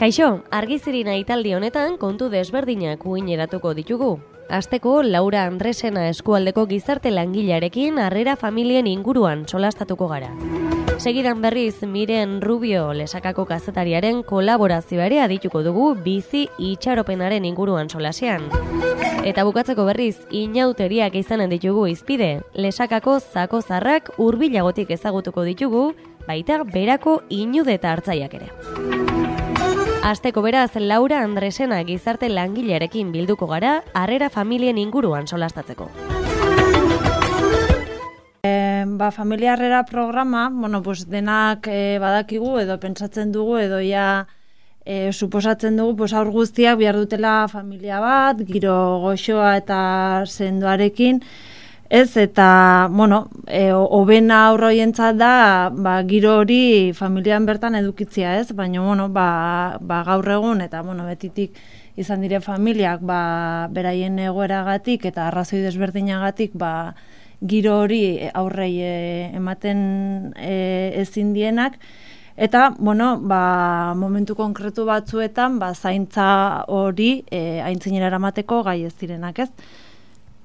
Kaixo, argizirina italdi honetan kontu desberdinak uineratuko ditugu. Hasteko, Laura Andresena eskualdeko gizarte langilearekin harrera familien inguruan solastatuko gara. Segidan berriz Miren Rubio Lesakako kazetariaren kolaborazioa ere adituko dugu bizi itxaropenaren inguruan solasean. Eta bukatzeko berriz inauteriak izanen ditugu izpide, Lesakako zako zarrak hurbilagotik ezagutuko ditugu, baita berako inude eta hartzaiak ere. Hasteko beraz, Laura Andresena gizarte langilearekin bilduko gara, harrera familien inguruan solastatzeko. Familia harrera programa, denak badakigu edo pentsatzen dugu edo suposatzen dugu aur guztiak behar dutela familia bat, giro goxoa eta sendoarekin, ez, eta, hobena aurroientzat da, giro hori familian bertan edukitzia, ez, baina, gaur egun, eta, betitik izan dire familiak, beraien egoeragatik eta arrazoi desberdinagatik, giro hori aurrei ematen ezin dienak, eta, momentu konkretu batzuetan, zaintza hori aintzinera eramateko gai ez direnak, ez.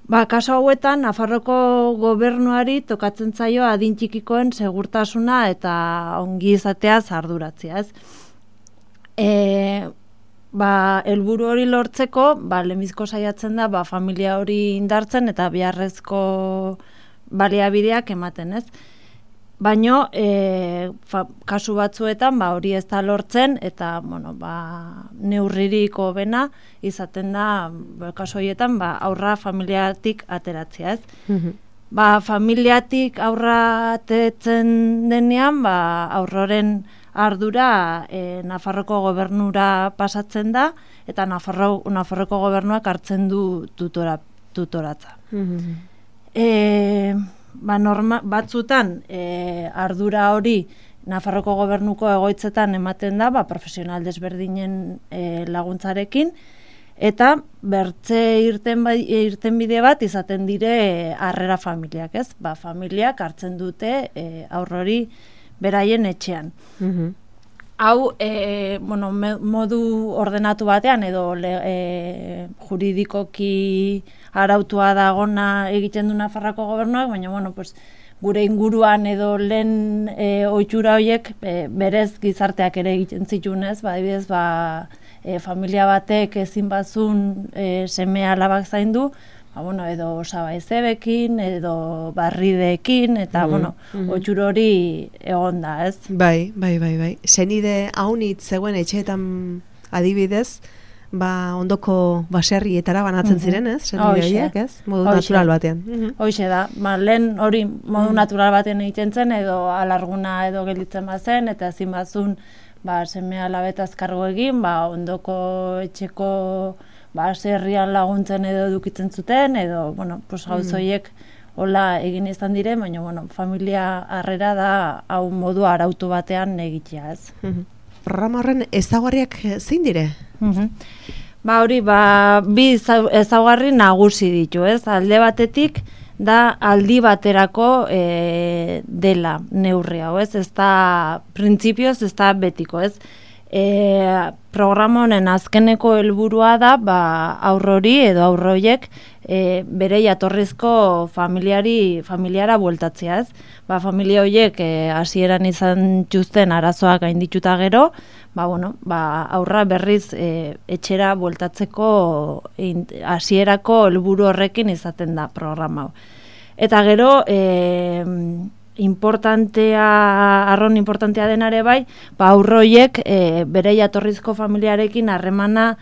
Kaso hauetan, Nafarroko gobernuari tokatzen zaio adin txikikoen segurtasuna eta ongi izateaz arduratzea, ez. Helburu hori lortzeko, lehenbiziko saiatzen da, familia hori indartzen eta beharrezko baliabideak ematen, ez. Baina, kasu batzuetan, hori ez da lortzen, eta, neurririk hobena izaten da, kasu horietan, aurra familiatik ateratzea, ez. Familiatik aurra ateratzen denean, aurroren ardura Nafarroko gobernura pasatzen da, eta Nafarroko gobernuak hartzen du tutoratza. Batzutan, ardura hori Nafarroko gobernuko egoitzetan ematen da, profesional desberdinen laguntzarekin, eta bertze irtenbide bat izaten dire harrera familiak, ez? Familiak hartzen dute aurrori beraien etxean. Hau, modu ordenatu batean edo juridikoki arautua dagona egiten du Nafarroko gobernuak, baina, gure inguruan edo lehen ohitura horiek berez gizarteak ere egiten zitunez, adibidez, familia batek ezin bazun seme alabak zaindu, edo osabaizebekin, edo barrideekin, eta, ohitura hori egon da, ez? Bai. Senide haunit zegoen etxeetan adibidez, ondoko baserrietara banatzen ziren, ez? Senide horiek, ez? Modu natural batean. Hoxe da, lehen hori modu natural batean egiten zen, edo alarguna edo gelditzen bazen, eta ezin bazun seme alabetaz kargo egin, ondoko etxeko baserrian laguntzen edo edukitzen zuten, edo, gauz horiek hola egin izan dire, baina, familia harrera da hau modu arautu batean egitea, ez. Programa horren ezaugarriak zein dire? Hori, bi ezaugarri nagusi ditu, ez. Alde batetik da aldi baterako dela neurri hau, ez. Ez da printzipioz, ez da betiko, ez. Programa honen azkeneko helburua da aurrori edo aurroiek bere jatorrizko familiara bueltatzea, ez? Familia horiek hasieran izan txuzten arazoak gaindituta gero, aurra berriz etxera bueltatzeko hasierako helburu horrekin izaten da programa hau. Eta gero arron importantea denare bai, aurroiek bere jatorrizko familiarekin harremana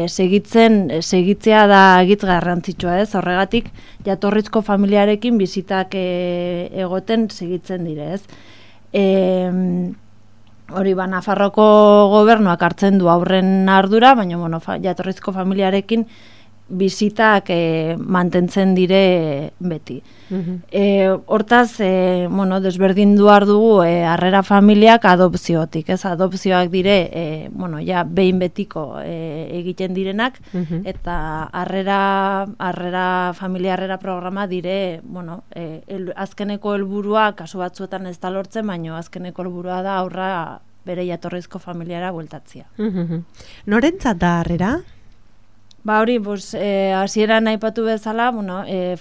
segitzea da egitz garrantzitsua, ez? Horregatik jatorrizko familiarekin bizitak egoten segitzen dire, ez? Hori, Nafarroko gobernuak hartzen du aurren ardura, baina jatorrizko familiarekin bizitak mantentzen dire beti. Hortaz, desberdin duar dugu harrera familiak adopziotik, ez? Adopzioak dire, behin betiko egiten direnak, eta familia harrera programa dire, azkeneko helburua, kasu batzuetan ez da lortzen, baina azkeneko helburua da aurra bere jatorrizko familiara bueltatzia. Norentzat da harrera? Hori, hasieran aipatu bezala,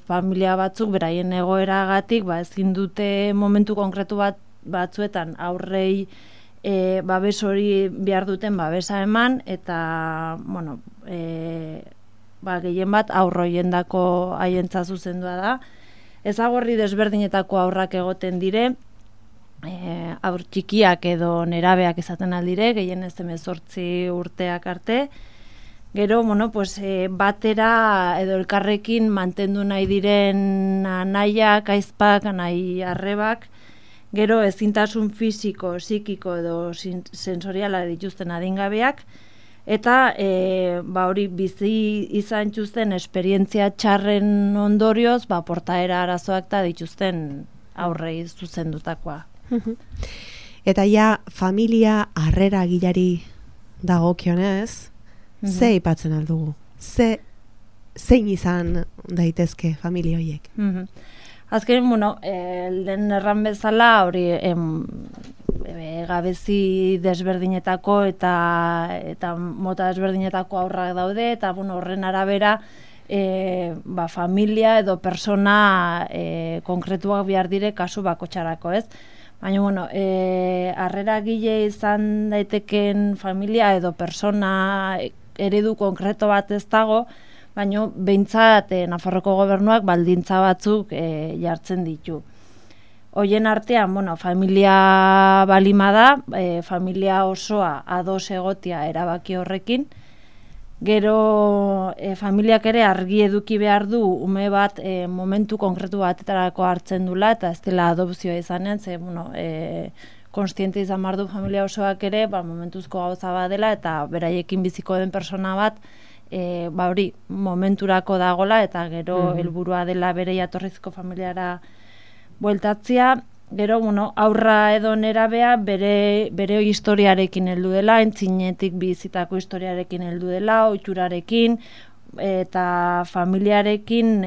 familia batzuk beraien egoeragatik, ezin dute momentu konkretu batzuetan aurrei babes hori behar duten babesa eman, eta, gehien bat aurroiendako haientza zuzendua da. Ezagorri desberdinetako aurrak egoten dire, aur txikiak edo nerabeak izaten aldire, gehien ez 18 urteak arte. Gero, batera edo elkarrekin mantendu nahi diren anaiak, aizpak, anai arrebak, gero ezintasun fisiko, psikiko edo sensoriala dituzten adingabeak, eta hori bizi izan txuzten esperientzia txarren ondorioz, portaera arazoak eta dituzten aurrei zuzendutakoa. Eta familia harrera gilari dagokionez, ze ipatzen aldugu? Zein izan daitezke familia horiek? Azken, lehen erran bezala, hori gabezi desberdinetako eta mota desberdinetako aurrak daude, eta horren arabera familia edo persona konkretuak behar dire kasu bakotxarako, ez? Baina, harrera gile izan daiteken familia edo persona eredu konkreto bat ez dago, baina behintzat Nafarroko gobernuak baldintza batzuk jartzen ditu. Hoien artean, familia balima da, familia osoa ados egotia erabaki horrekin. Gero, familiak ere argi eduki behar du ume bat momentu konkretu batetarako hartzen dula, eta ez dela adopzioa izanen, konstiente izan behar du familia osoak ere, momentuzko gauza bat dela, eta beraiekin biziko den persona bat, hori momenturako dagola, eta gero helburua dela bere jatorrizko familiara bueltatzia. Gero, aurra edo nerabea bere historiarekin heldu dela, entzinetik bizitako historiarekin heldu dela, oiturarekin, eta familiarekin,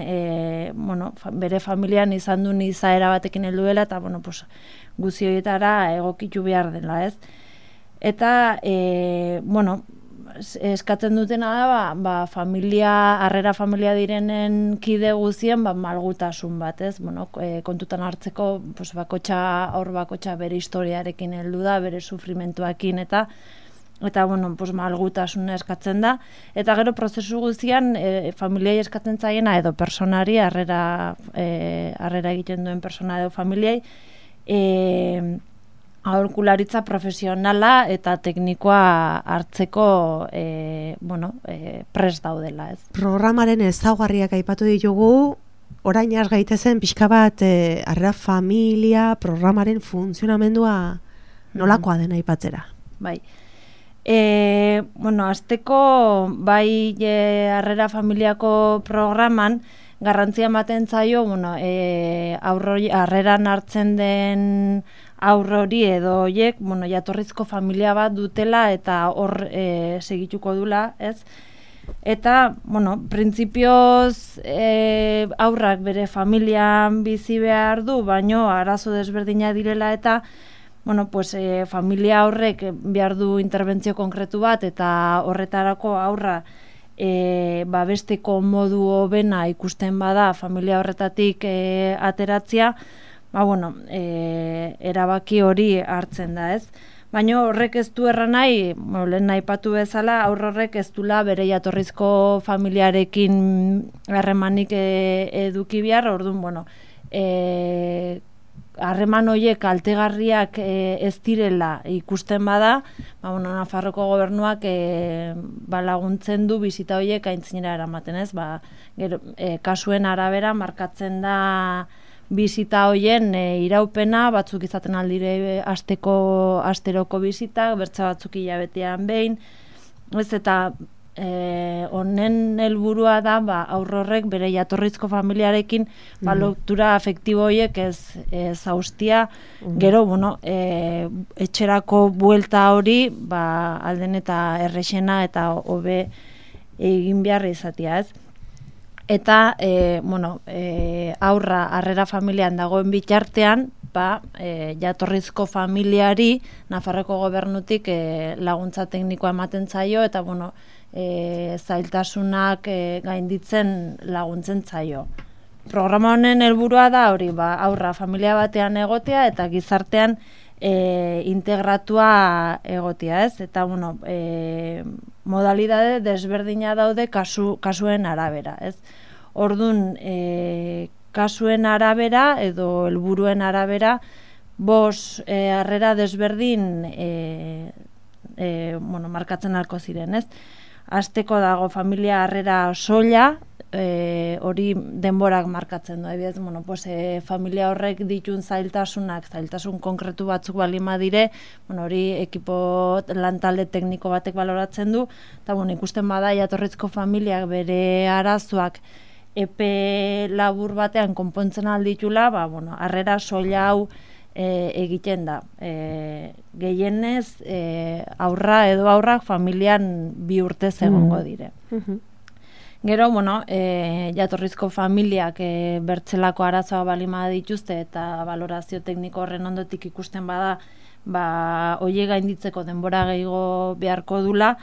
bere familian izan duen izaera batekin heldu dela, eta, guzi horietara egokitu behar dela, ez? Eta, eskatzen dutena da, harrera familia direnen kide guzien, malgutasun bat, ez? Kontutan hartzeko, aur bakotxa bere historiarekin heldu da, bere sufrimentuakin, eta malgutasuna eskatzen da. Eta gero prozesu guztian, familiai eskatzen zaiena edo personari, harrera egiten duen persona edo familiai, aholkularitza profesionala eta teknikoa hartzeko prest daudela, ez? Programaren ezaugarriak aipatu ditugu, orain has gaitezen pixka bat harrera familia programaren funtzionamendua nolakoa dena aipatzera. Bai. Azteko bai harrera familiako programan garrantzia ematen zaio, harreran hartzen den aurrori edo horiek, jatorrizko familia bat dutela eta hor segituko dula, ez? Eta, printzipioz aurrak bere familian bizi behar du, baino arazo desberdina direla eta familia horrek behar du interbentzio konkretu bat eta horretarako aurra babesteko modu hobena ikusten bada familia horretatik ateratzea, erabaki hori hartzen da, ez? Baina horrek ez du erran nahi, lehen aipatu bezala, horrek ez dula bere jatorrizko familiarekin harremanik eduki behar, orduan, harreman horiek kaltegarriak ez direla ikusten bada, Nafarroko gobernuak laguntzen du bizita horiek aintzinera eramaten, ez? Kasuen arabera markatzen da bizita horien iraupena, batzuk izaten aldire asteroko bizitak, bertza batzuk hilabetean behin, ez eta honen helburua da aurrorrek bere jatorrizko familiarekin lotura afektibo horiek ez haustia, gero etxerako buelta hori alden eta errexena eta hobe egin behar izatea, ez? Eta aurra harrera familian dagoen bitartean jatorrizko familiari Nafarroko gobernutik laguntza teknikoa ematen zaio, eta zailtasunak gainditzen laguntzen zaio. Programa honen helburua da hori, aurra familia batean egotea eta gizartean integratua egotea, ez? Eta, modalidade desberdina daude kasuen arabera, ez? Orduan, kasuen arabera edo helburuen arabera, 5 harrera desberdin markatzen alko ziren, ez? Hasteko dago familia harrera soila, hori denborak markatzen du, familia horrek ditun zailtasun konkretu batzuk balima dire, hori ekipo lantalde tekniko batek baloratzen du, eta ikusten bada jatorrizko familiak bere arazoak epe labur batean konpontzen alditula, harrera soila hau egiten da. Gehienez, aurra edo aurrak familian 2 urtez egongo dire. Gero, jatorrizko familiak bertzelako arazoa balima dituzte eta valorazio tekniko horren ondotik ikusten bada, hoiek gainditzeko denbora gehiago beharko dula,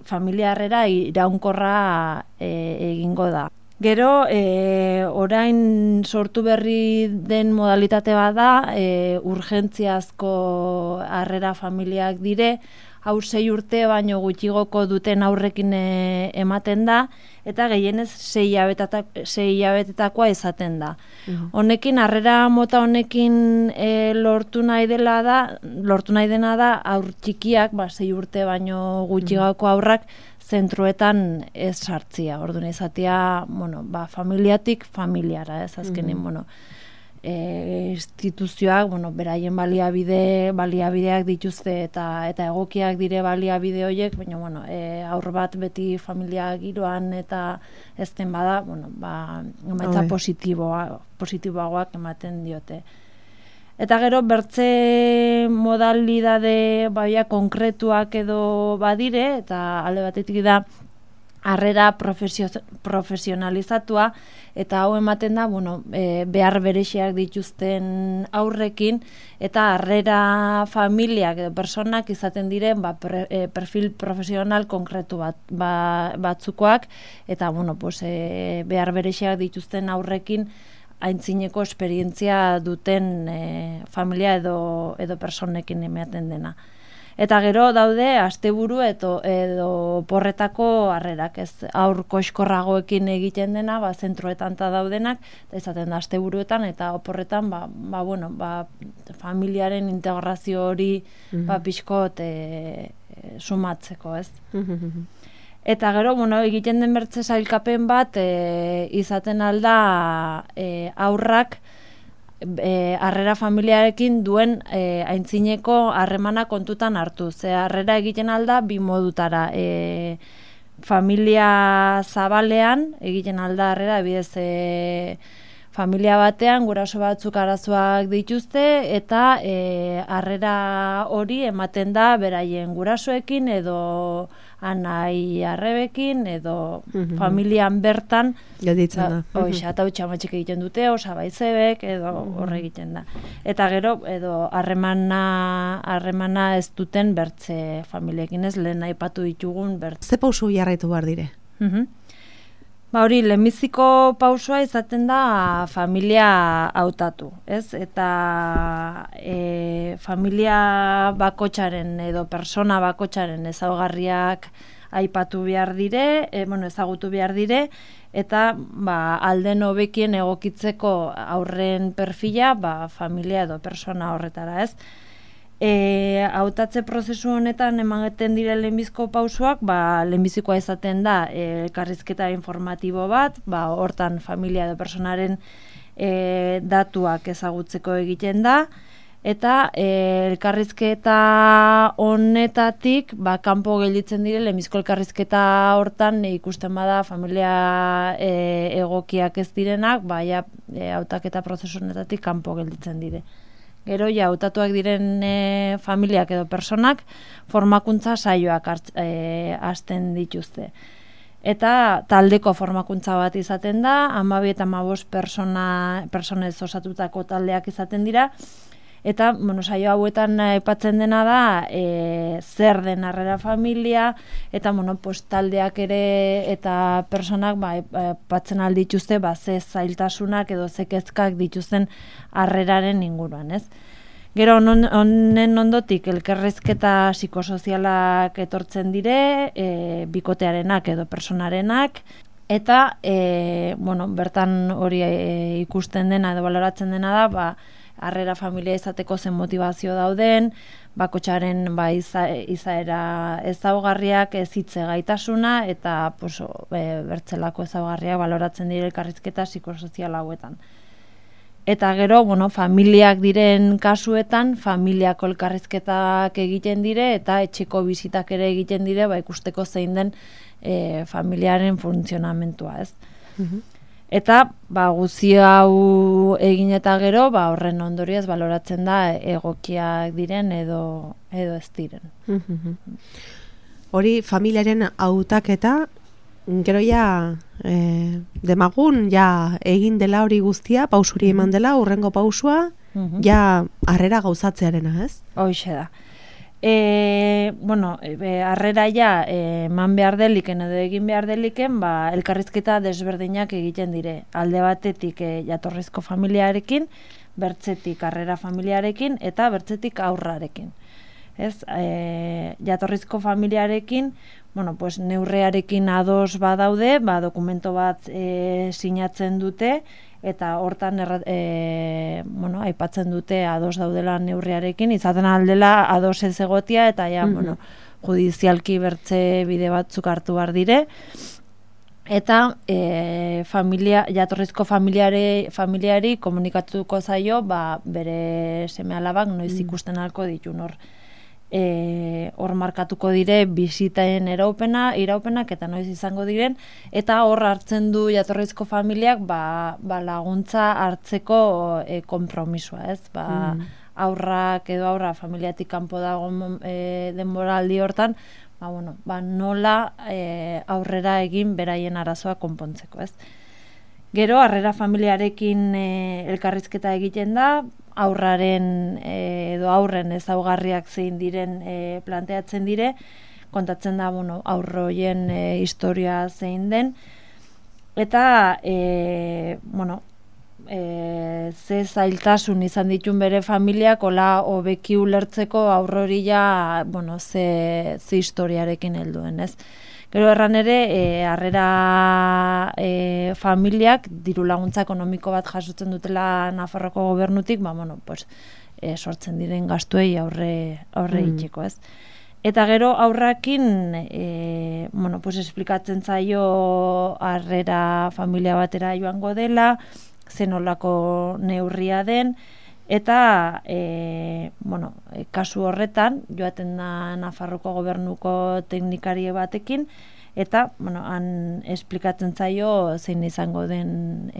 familia harrera iraunkorra egingo da. Gero, orain sortu berri den modalitate bada, urgentziazko harrera familiak dire, hau 6 urte baino gutxigoko duten aurrekin ematen da, eta gehienez 6 hilabetetakoa izaten da. Honekin, harrera mota honekin lortu nahi dena da, aur txikiak, 6 urte baino gutxigoko aurrak, zentruetan ez sartzia. Orduan izatea, familiatik familiara, ez azkenin, instituzioak, beraien baliabideak dituzte eta egokiak dire baliabide horiek, baina, aur bat beti familia giroan eta ezten bada, emaitza positiboagoak ematen diote. Eta gero, bertze modalidade konkretuak edo badire, eta alde batetik da, harrera profesionalizatua, eta hau ematen da, behar berexiak dituzten aurrekin, eta harrera familiak edo personak izaten diren perfil profesional konkretu batzukoak, eta behar berexiak dituzten aurrekin aintzineko esperientzia duten familia edo personekin ematen dena. Eta gero daude asteburu edo porretako harrerak, ez aur koxkorragoekin egiten dena, zentroetan ta daudenak, eta izaten da asteburuetan eta oporretan familiaren integrazio hori pixkot sumatzeko, ez? Eta gero, egiten den bertze sailkapen bat izaten alda aurrak harrera familiarekin duen aintzineko harremana kontutan hartu. Harrera egiten alda 2 modutara. Familia zabalean egiten alda harrera, bidez familia batean guraso batzuk arazoak dituzte, eta harrera hori ematen da beraien gurasoekin edo anai arrebekin edo familian bertan gelditzen da. Eta utxamatxik egiten dute, osabaizebek edo horre egiten da. Eta gero, edo harremana ez duten bertze familiekin, ez lehen aipatu ditugun bertze. Ze pausu jarraitu behar dire? Hori, lehenbiziko pausua izaten da familia hautatu, ez? Eta familia bakotxaren edo persona bakotxaren ezaugarriak aipatu behar dire, ezagutu behar dire, eta alden hobekien egokitzeko aurren perfila familia edo persona horretara, ez? Hautatze prozesu honetan ematen dire lehenbizko pausuak, lehenbizikoa izaten da elkarrizketa informatibo bat, hortan familia edo personaren datuak ezagutzeko egiten da, eta elkarrizketa honetatik kanpo gelditzen dire, lehenbizko elkarrizketa hortan ikusten bada familia egokiak ez direnak, hautaketa prozesu honetatik kanpo gelditzen dire. Gero, hautatuak diren familiak edo personak formakuntza saioak hasten dituzte. eta taldeko formakuntza bat izaten da, 12 eta 15 personez osatutako taldeak izaten dira, eta saio hauetan aipatzen dena da zer den harrera familia, eta taldeak ere eta personak aipatzen aldituzte ze zailtasunak edo ze kezkak dituzten harreraren inguruan, ez? Gero honen ondotik elkarrizketa psikosozialak etortzen dire, bikotearenak edo personarenak, eta bertan hori ikusten dena edo baloratzen dena da, harrera familia izateko zen motivazio dauden, bakotsaren izaera ezaugarriak, ezitze gaitasuna, eta bertzelako ezaugarriak baloratzen dire elkarrizketa psikosozial hauetan. Eta gero, familiak diren kasuetan, familiako elkarrizketak egiten dire, eta etxeko bizitak ere egiten dire, ikusteko zein den familiaren funtzionamentua, ez? Eta, guzti hau egin eta gero, horren ondorioz baloratzen da egokiak diren edo ez diren. Hori, familiaren hautaketa, gero demagun, egin dela hori guztia, pausuri eman dela, hurrengo pausua, harrera gauzatzearena, ez? Hoxe da. Harrera eman behar deliken edo egin behar deliken, elkarrizketa desberdinak egiten dire. Alde batetik jatorrizko familiarekin, bertzetik harrera familiarekin, eta bertzetik aurrarekin. Ez, jatorrizko familiarekin, neurrearekin ados badaude, dokumento bat sinatzen dute, eta hortan aipatzen dute ados daudela neurriarekin, izaten aldela ados ez egotia, eta judizialki bertze bide batzuk hartu behar dire, eta jatorrizko familiari komunikatuko zaio, bere seme alabak noiz ikusten halko ditun hor markatuko dire bizitaen iraupenak eta noiz izango diren, eta hor hartzen du jatorrizko familiak laguntza hartzeko konpromisoa, ez? Aurrak edo aurra familiatik kanpo dago denboraldi hortan, nola aurrera egin beraien arazoa konpontzeko, ez? Gero, harrera familiarekin elkarrizketa egiten da, aurraren edo aurren ezaugarriak zein diren planteatzen dire, kontatzen da aurroien historia zein den, eta ze zailtasun izan ditun bere familiak hola hobeki ulertzeko aurrori ze historiarekin helduen, ez? Gero erran ere, harrera familiak diru laguntza ekonomiko bat jasotzen dutela Nafarroko gobernutik, sortzen diren gastuei aurre itxeko, ez? Eta gero aurrakin, esplikatzen zaio harrera familia batera joango dela, zenolako neurria den, eta kasu horretan joaten da Nafarroko gobernuko teknikarie batekin, eta han esplikatzen zaio zein izango den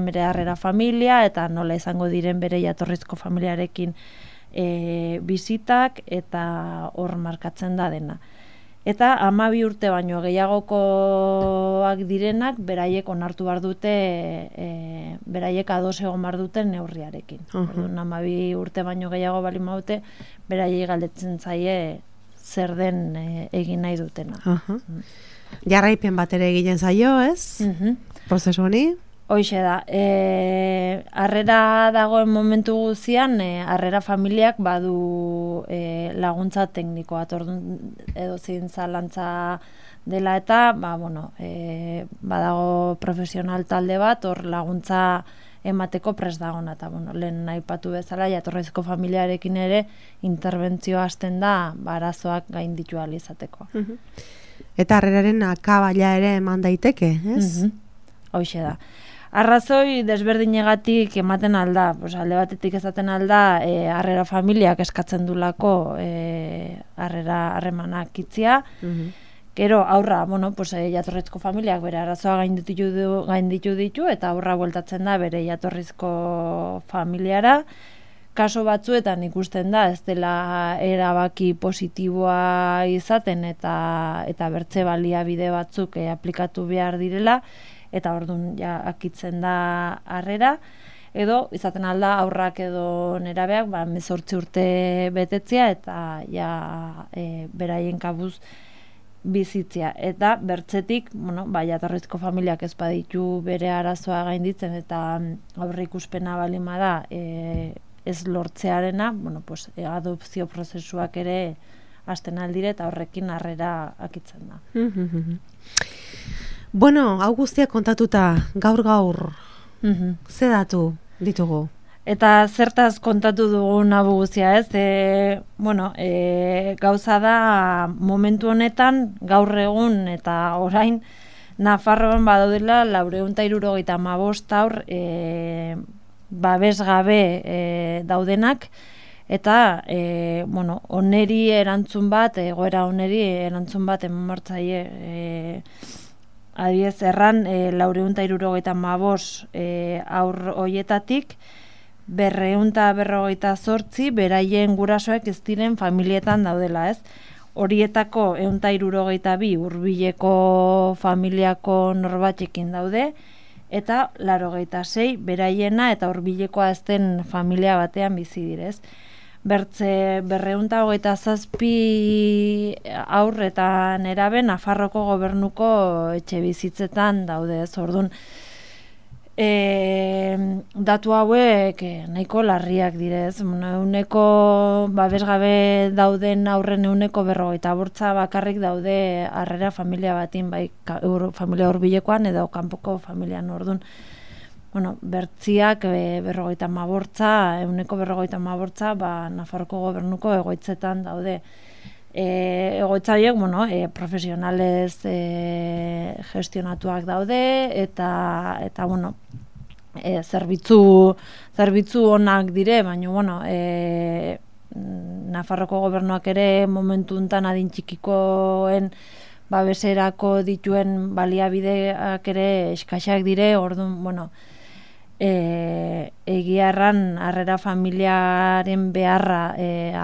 bere harrera familia, eta nola izango diren bere jatorrizko familiarekin bizitak, eta hor markatzen da dena. Eta 12 urte baino gehiagokoak direnak beraiek onartu behar dute, beraiek ados egon behar duten neurriarekin. 12 urte baino gehiago bali maute, beraiek galdetzen zaie zer den egin nahi dutena. Jarraipen bat ere egiten zaio, ez? Prozesu honi? Hoxe da, harrera dagoen momentu guzian, harrera familiak badu laguntza teknikoa, edo zein zalantza dela eta, badago profesional talde bat, hor laguntza emateko prest dagona, eta lehen aipatu bezala, jatorrizko familiarekin ere interbentzio hasten da, arazoak gainditu ahal izateko. Eta harreraren akabaila ere eman daiteke, ez? Hoxe da. Arrazoi desberdinegatik ematen alda, alde batetik ezaten alda, harrera familiak eskatzen dulako harremanak itzia. Gero aurra, jatorrizko familiak bere arazoa gainditu ditu, eta aurra bueltatzen da bere jatorrizko familiara. kaso batzuetan ikusten da, ez dela erabaki positiboa izaten eta bertze baliabide batzuk aplikatu behar direla, eta orduan ja akitzen da harrera, edo izaten alda aurrak edo nerabeak 18 urte betetzea eta ja beraien kabuz bizitzea. Eta bertzetik, jatorrizko familiak ez baditu bere arazoa gainditzen eta aurreikuspena baldin bada ez lortzearena, adopzio prozesuak ere hasten aldire eta horrekin harrera akitzen da. Bueno, hau guztiak kontatuta gaur, ze datu ditugu? Eta zertaz kontatu dugu nabu guztia, ez? Gauza da momentu honetan, gaur egun eta orain, Nafarroan badaudela 475 haur babes gabe daudenak, eta oneri erantzun bat, egoera oneri erantzun bat emanmartzaile adiez erran 475 haur hoietatik 258 beraien gurasoek ez diren familietan daudela, ez? Horietako 162 hurbileko familiako norbatekin daude, eta 86 beraiena eta hurbilekoa ez den familia batean bizi direz. Bertze 227 haur eta nerabe Nafarroko gobernuko etxe bizitzetan daude, ez? Orduan, datu hauek nahiko larriak direz. Euneko babesgabe dauden aurren 50% bakarrik daude harrera familia batin, bai familia hurbilekoan edo kanpoko familian. Orduan, bertziak 50%, euneko 50%, Nafarroko gobernuko egoitzetan daude. Egoitza horiek, profesionalez gestionatuak daude, eta zerbitzu onak dire, baina, Nafarroko gobernuak ere momentu hontan adin txikikoen babeserako dituen baliabideak ere eskaxak dire, orduan, egia erran harrera familiaren beharra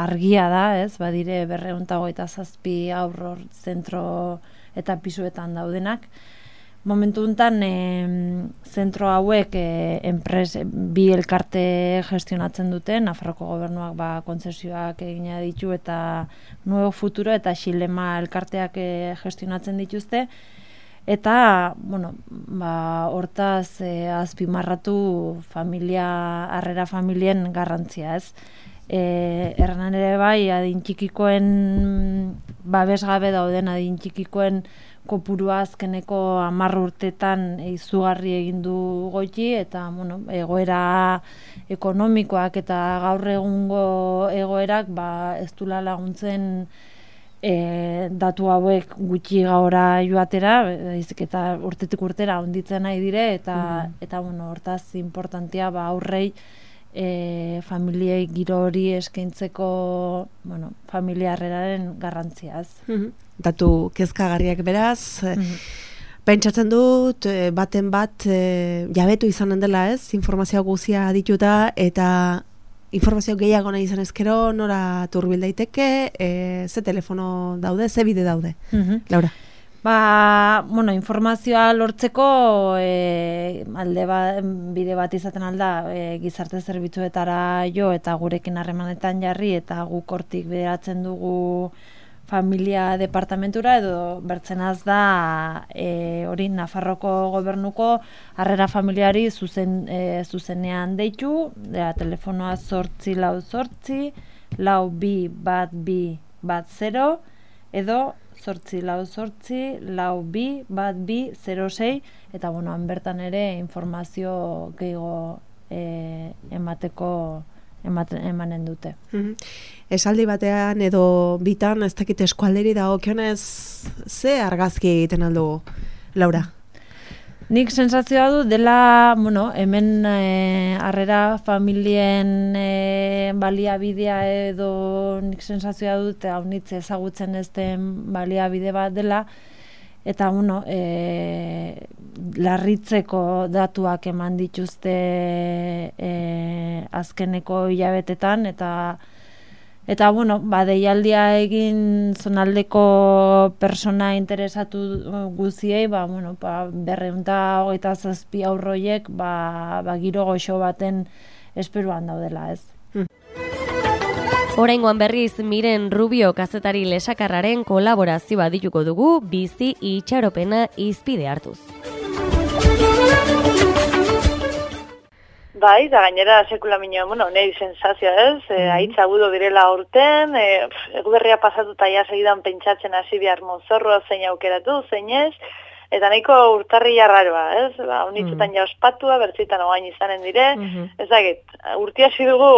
argia da, ez? Badire 227 haur zentro eta pisuetan daudenak. Momentu hontan zentro hauek bi elkarte gestionatzen dute, Nafarroko gobernuak kontzesioak egina ditu eta Nuevo Futuro eta Xilema elkarteak gestionatzen dituzte. Eta, hortaz azpimarratu harrera familien garrantzia, ez? Erranan ere bai, adin txikikoen babesgabe dauden, adin txikikoen kopurua azkeneko 10 urtetan izugarri egin du goiti, eta egoera ekonomikoak eta gaur egungo egoerak ez dula laguntzen datu hauek gutxi gaura joatera, eta urtetik urtera onditzen nahi dire, eta hortaz importantia aurrei familiei giro hori eskaintzeko familia harreraren garrantziaz. Datu kezkagarriak beraz, pentsatzen dut baten bat jabetu izanen dela, ez? Informazio guzia dituta eta informazio gehiago nahi izan ezkero, nora turbil daiteke, ze telefono daude, ze bide daude, Laura? Informazioa lortzeko bide bat izaten alda gizarte zerbitzuetara jo eta gurekin harremanetan jarri eta guk hortik bideratzen dugu familia departamentura edo bertzenaz da hori Nafarroko gobernuko harrera familiari zuzenean deitu, telefonoa 848 421210 edo 848 eta bertan ere informazio gehiago emanen dute. Esaldi batean edo bitan ez dakit eskualderi dagokionez ze argazki egiten aldugu, Laura? Nik sensazioa du dela, hemen harrera familien baliabidea edo nik sensazioa dut haunitze ezagutzen ez den baliabide bat dela, eta larritzeko datuak eman dituzte azkeneko hilabetetan, eta deialdia egin zonaldeko persona interesatu guziei, 227 haurroiek giro goxo baten esperuan daudela, ez. Oraingoan berriz Miren Rubio kazetari lesakarraren kolaborazioa dituko dugu bizi itxaropena hizpide hartuz. Bai, da gainera sekula nahi sensazioa ez, haitza agudo direla urten, eguberria pasatuta ja segidan pentsatzen hasi behar mozorroa zein aukeratu, zein ez, eta nahiko urtarria raroa, ez? Unitzetan ja ospatua, bertzitan ogain izanen dire, ezagit, urtia hasi dugu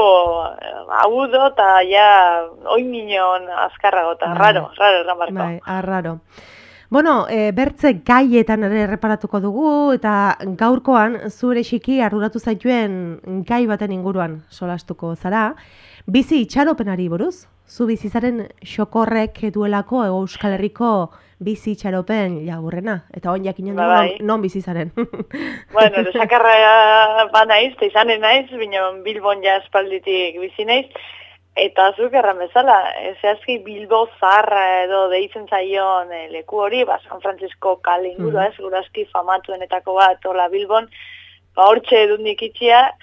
agudo eta ja oiminon azkarrago, eta raro erran barko. Bai, raro. Bueno, bertze gaietan ere erreparatuko dugu, eta gaurkoan zure xiki arduratu zaituen gai baten inguruan solastuko zara. Bizi itxaropenari buruz, zu bizizaren xokorrek duelako Euskal Herriko bizi itxaropen laburrena, eta on jakinen dugu non bizizaren. Bueno, lesakarra naiz, eta izanen naiz, bino Bilbon ja espalditik bizi naiz, eta zuk erran bezala, zehazki Bilbo zaharra edo deitzen zaion leku hori, San Francisco kale ingurua, segurazki famatuenetako bat, hola Bilbon, hortxe edundik itxia,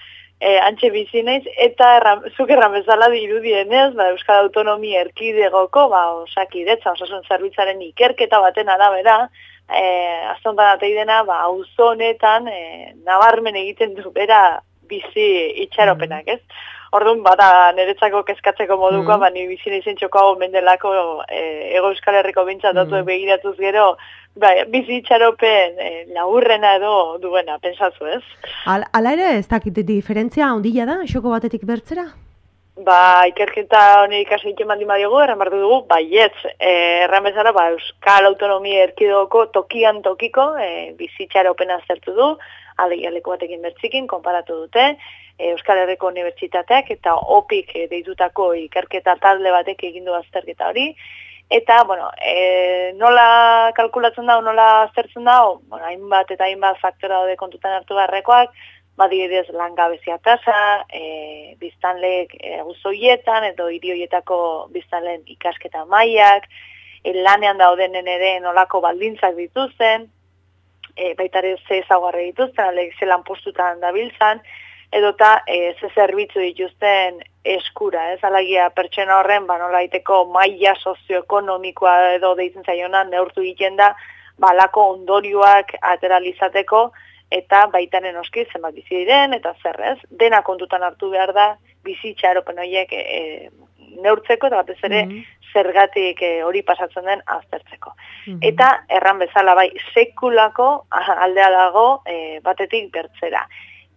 antxe bizi naiz, eta zuk erran bezala dirudienez, Euskal Autonomia Erkidegoko, osakidetza, osasun zerbitzaren ikerketa baten arabera, aztontan ateidena, auzo honetan, nabarmen egiten du bera bizi itxaropenak, ez? Orduan, niretzako kezkatzeko moduko, ni bizi naizen txokoago mendelako Ego Euskal Herriko bintzat datuek begiratuz gero, bizi itxaropen laburrena edo duena, pensatzu, ez? Hala ere, ez dakit diferentzia ondila da, xoko batetik bertzera? Ikerketa honi ikasi egiten baldin badiogu, erran bartu dugu, baietz, erran bezala, Euskal Autonomia Erkidegoko tokian tokiko bizi itxaropena aztertu du, leku batekin bertzikin, konparatu dute, Euskal Herriko Unibertsitateak eta OPIK deitutako ikerketa talde batek egin du azterketa hori. Eta, nola kalkulatzen da, nola aztertzen da, hainbat eta hainbat faktora daude kontutan hartu beharrekoak, adibidez langabezia tasa, biztanleek auzoietan edo hiri horietako biztanleen ikasketa mailak, lanean daudenen ere nolako baldintzak dituzten, baita ere ze ezaugarri dituzten, ze lanpostutan dabiltzan, edota ze zerbitzu dituzten eskura, ez? Alagia pertsona horren, nola daiteko maila sozioekonomikoa edo deitzen zaionan neurtu egiten da, balako ondorioak ateralizateko, eta baitaren oski zenbat bizi diren, eta zer ez? Dena kontutan hartu behar da, bizi itxaropen horiek neurtzeko, eta batez ere zergatik hori pasatzen den aztertzeko. Eta erran bezala sekulako aldea dago batetik bertzera.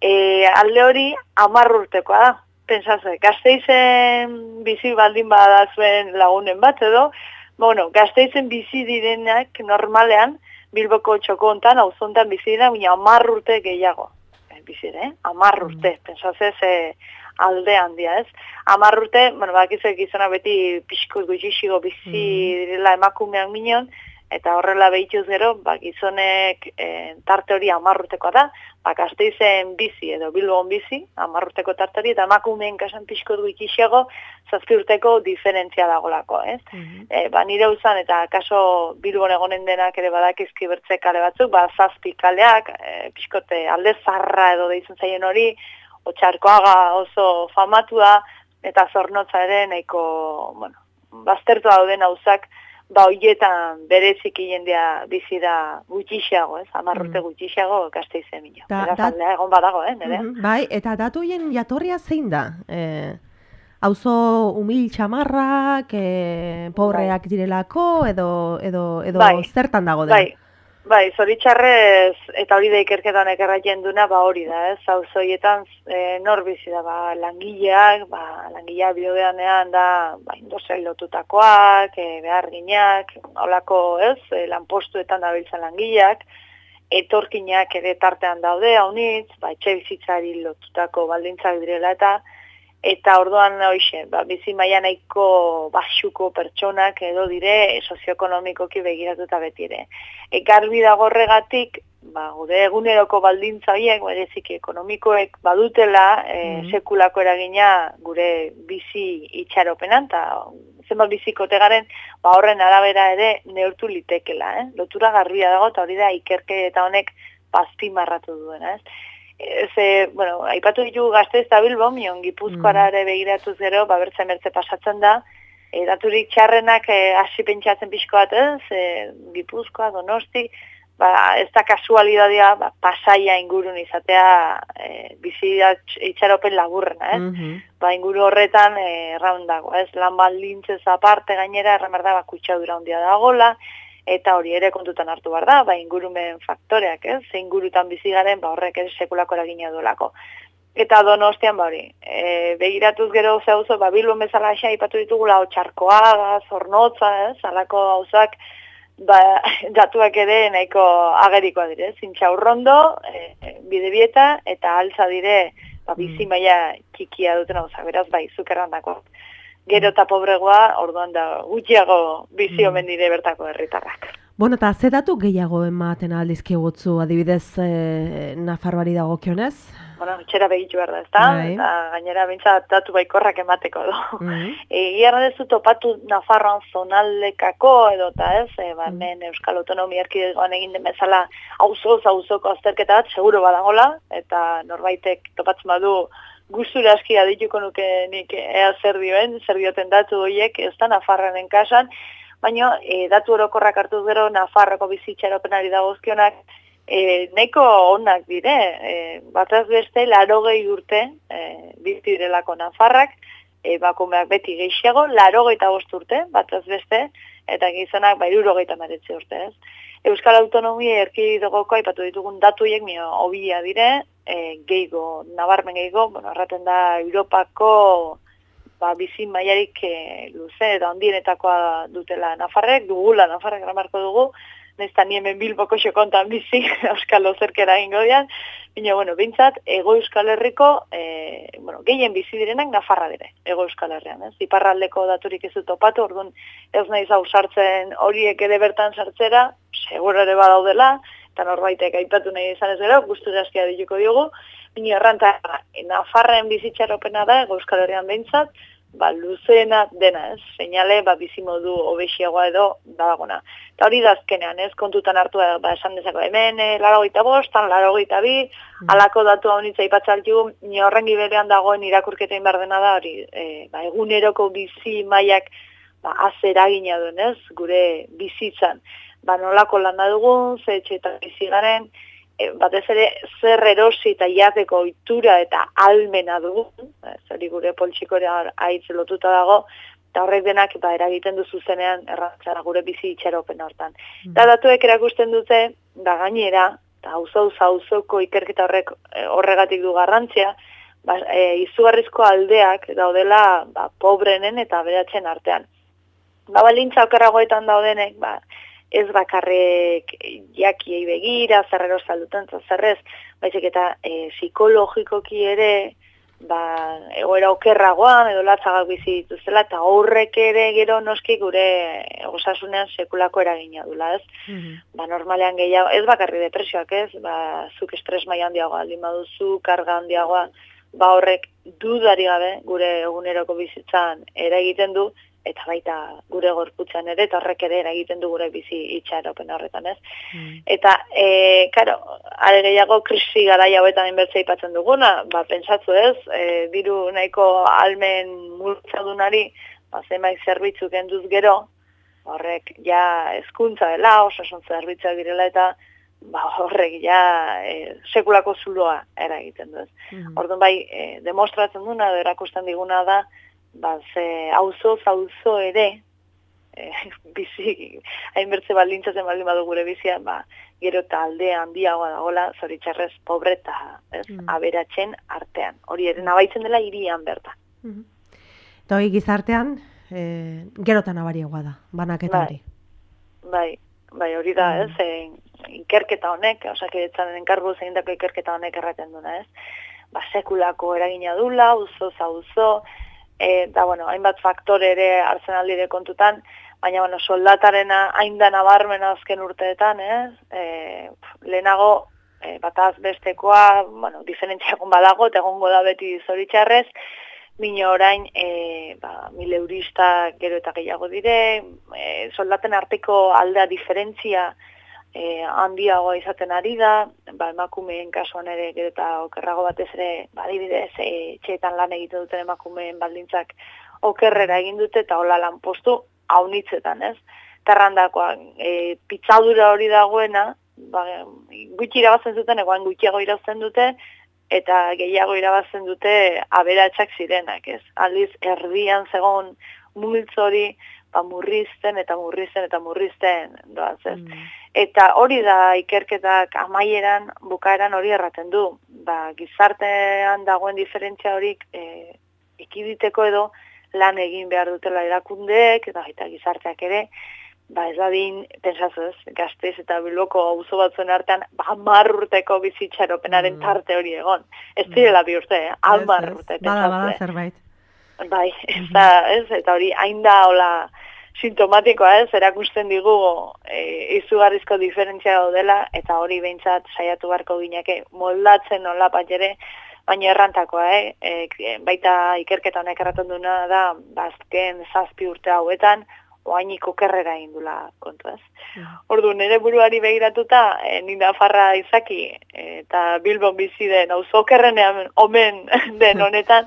Alde hori 10 urtekoa da. Pentsatze, Gasteizen bizi baldin badazuen lagunen bat edo, Gasteizen bizi direnak normalean Bilboko txoko hontan, auzo hontan bizi dira, baina 10 urte gehiago. Bizi dira, 10 urte. Pentsatze alde handia, ez? 10 urte, bakizek gizona beti pixko gutxixigo bizi direla emakumean minon, eta horrela behituz gero, gizonek tarte hori 10 urtekoa da, Gasteizen bizi edo Bilbon bizi, 10 urteko tarte hori, eta emakumeen kasan pixko gutxixiago 7 urteko diferentzia dagolako, ez? Nire uzan, eta kaso Bilbon egonen denak ere badakizki bertze kale batzuk, 7 kaleak, pixkote alde zarra edo deitzen zaien hori, Otxarkoaga oso famatua, eta Zornotza ere nahiko, baztertu dauden auzak, horietan bereziki jendea bizi da gutxiago, ez? 10 urte gutxiago Gasteizen mino. Aldea egon badago, nire? Bai, eta datuien jatorria zein da? Auzo umil txamarrak, pobreak direlako, edo zertan dago da? Bai, zoritxarrez, eta hori da ikerketan ekerraien duna, hori da, ez? Auzoietan nor bizi da, langileak, langileak biodeanean da, industria lotutakoak, beharginak, holako, ez? Lanpostuetan dabiltzan langileak, etorkinak ere tartean daude, haunitz, etxe bizitzari lotutako baldintzak direla, eta eta orduan hoixe, bizi maila nahiko baxuko pertsonak edo dire sozioekonomikoki begiratuta beti ere. Garbi dago horregatik, gure eguneroko baldintza horiek, bereziki ekonomikoek badutela sekulako eragina gure bizi itxaropenan, eta zenbat bizikote garen, horren arabera ere neurtu litekela, lotura garbia dago, eta hori da ikerketa honek azpimarratu duena, bueno, aipatu ditugu Gasteiz eta Bilbo, Gipuzkoara ere begiratuz gero, bertze pasatzen da, daturik txarrenak hasi pentsatzen pixko bat, Gipuzkoa, Donosti, ez da kasualidadia Pasaia ingurun izatea bizi itxaropen laburrena, inguru horretan erraun dago, lan baldintzez aparte gainera, erramar da kutsadura handia dagola, eta hori ere kontutan hartu behar da, ingurumen faktoreak, ze ingurutan bizi garen, horrek ere sekulako eragina duelako. Eta Donostian, hori, begiratuz gero zeuzo, Bilbon bezala aipatu ditugula, Otxarkoaga, Zornotza, alako gauzak, datuak ere nahiko agerikoa dire, Zintxaurrondo, Bidebieta, eta altza dire, bizi maila txikia duten gauzak, beraz, zukerrandako. Gero eta pobregoa, orduan da gutxiago bizi omen dire bertako herritarrak. Bueno, eta ze datu gehiago ematen aldizkigutzu, adibidez Nafarroari dagokionez? Bueno, etxera begitu behar da, ezta? Eta gainera bintzat datu baikorrak emateko do. Egia dezu topatu Nafarroan zonaldekako edo eta ez, hemen Euskal Autonomia Erkidegoan egin den bezala auzoko azterketa bat, seguro badagola, eta norbaitek topatzen badu gustura aski adituko nuke nik ea zer dioten datu horiek, ez da Nafarroanen kasan, baina datu orokorrak hartuz gero Nafarroko bizitxaropenari dagozkionak nahiko onak dire, bataz beste 80 urte bizi direlako Nafarrak, emakumeak beti gehiago, 85 urte, bataz beste, eta gizonak 79 urte, ez. Euskal Autonomia Erkidegoko aipatu ditugun datu horiek hobia dire, gehigo, nabarmen gehigo, erraten da Europako bizi mailarik luze eta handienetakoa dutela Nafarrek, dugula Nafarrek eramarko dugu, nezta ni hemen Bilboko xokontan bizi, Euskal Ozerkera egingo dian, baina, bintzat, Ego Euskal Herriko, gehien bizi direnak Nafarra dire, Ego Euskal Herrian, ez? Iparraldeko daturik ez dut topatu, orduan ez naiz hau sartzen horiek ere bertan sartzera, seguro ere badaudela, eta norbaitek aipatu nahi izan ez gero, gustura askia dituko diogu, baina erranta, Nafarren bizitxaropena da, Ego Euskal Herrian behintzat, luzeena dena, ez? Seinale, bizimodu obesiagoa edo badagona. Eta hori da azkenean, ez? Kontutan hartu esan dezako, hemen 85, 82, alako datu honitza ipatzaltu, ni horrengi berean dagoen irakurketein behar dena da, hori, eguneroko bizi mailak azeragina duen, ez? Gure bizitzan. Nolako lana dugun, ze etxeetan bizi garen, batez ere zer erosi eta jateko ohitura eta almena dugun, hori gure poltsikorea haitz lotuta dago, eta horrek denak eragiten du zuzenean errantzara gure bizi itxaropen hortan. Eta datuek erakusten dute, gainera, eta auzoko ikerketa horregatik du garrantzia, izugarrizko aldeak daudela pobrenen eta aberatzen artean. Baldintza okerragoetan daudenek, ez bakarrek jakiei begira, zerrero zalduten, zerrez, baizik eta psikologikoki ere, egoera okerragoan, edo latzagak bizi dituzela, eta horrek ere gero noski gure osasunean sekulako eragina dula, ez? Normalean gehiago, ez bakarri depresioak, ez? Zuk estres maila handiagoa, aldin baduzu, karga handiagoa, horrek dudari gabe gure eguneroko bizitzan eragiten du, eta baita gure gorputzan ere, eta horrek ere eragiten du gure bizi itxaropen horretan, ez? Eta, karo, are gehiago krisi garai hauetan inbertzea ipatzen duguna, pentsatzu ez, diru nahiko almen multzadunari, zenbait zerbitzu kenduz gero, horrek ja hezkuntza dela, osasun zerbitzuak direla, eta horrek ja sekulako zuloa eragiten du, ez? Orduan demostratzen duna, erakusten diguna da, auzo ere, bizi, hainbertze baldintzatzen baldin badu gure bizian, gero eta alde handiagoa dagoela, zoritxarrez, pobre eta aberatzen artean. Hori ere nabaitzen dela hirian bertan. Eta hori gizartean, gero eta nabariagoa da, banaketa hori. Bai, hori da, ez, ikerketa honek, Osakidetzaren enkarguz egindako ikerketa honek erraten duna, ez. sekulako eragina dula, auzo auzo, eta bueno, hainbat faktore ere hartzen aldire kontutan, baina bueno, soldatarena hain da nabarmena azken urteetan, lehenago bataz bestekoa, bueno, diferentziakon badago, eta egongo da beti zoritxarrez, bino orain, 1000 eurista gero eta gehiago dire, soldaten arteko aldea diferentzia handiagoa izaten ari da, emakumeen kasuan ere gero eta okerrago batez ere, adibidez, etxeetan lan egiten duten emakumeen baldintzak okerrera egin dute, eta hola lanpostu haunitzetan, ez? Terrandakoan, pitzadura hori dagoena, gutxi irabazten zuten, egoan gutxiago irabazten dute, eta gehiago irabazten dute aberatsak zirenak, ez? Aldiz, erdian zegoen multzo hori, murrizten doaz, ez? Eta hori da ikerketak amaieran, bukaeran hori erraten du. Gizartean dagoen diferentzia horik ekiditeko edo lan egin behar dutela erakundeek, eta gizarteak ere, ez dadin, pensazu ez, Gasteiz eta Bilboko auzo batzuen artean, 10 urteko bizitxaropenaren tarte hori egon. Ez direla 2 urte, 10 urte. Bada zerbait. Bai, eta hori hain da hola sintomatikoa ez, erakusten digu izugarrizko diferentzia daudela, eta hori behintzat saiatu beharko gineke moldatzen nola bat ere, baina errantakoa, baita ikerketa honek erraten duna da, azken 7 urte hauetan, oainik okerrera indula kontu ez. Ordu, nire buruari begiratuta, ni Nafarra izaki, eta Bilbon bizi den, auzo okerrenean omen den honetan,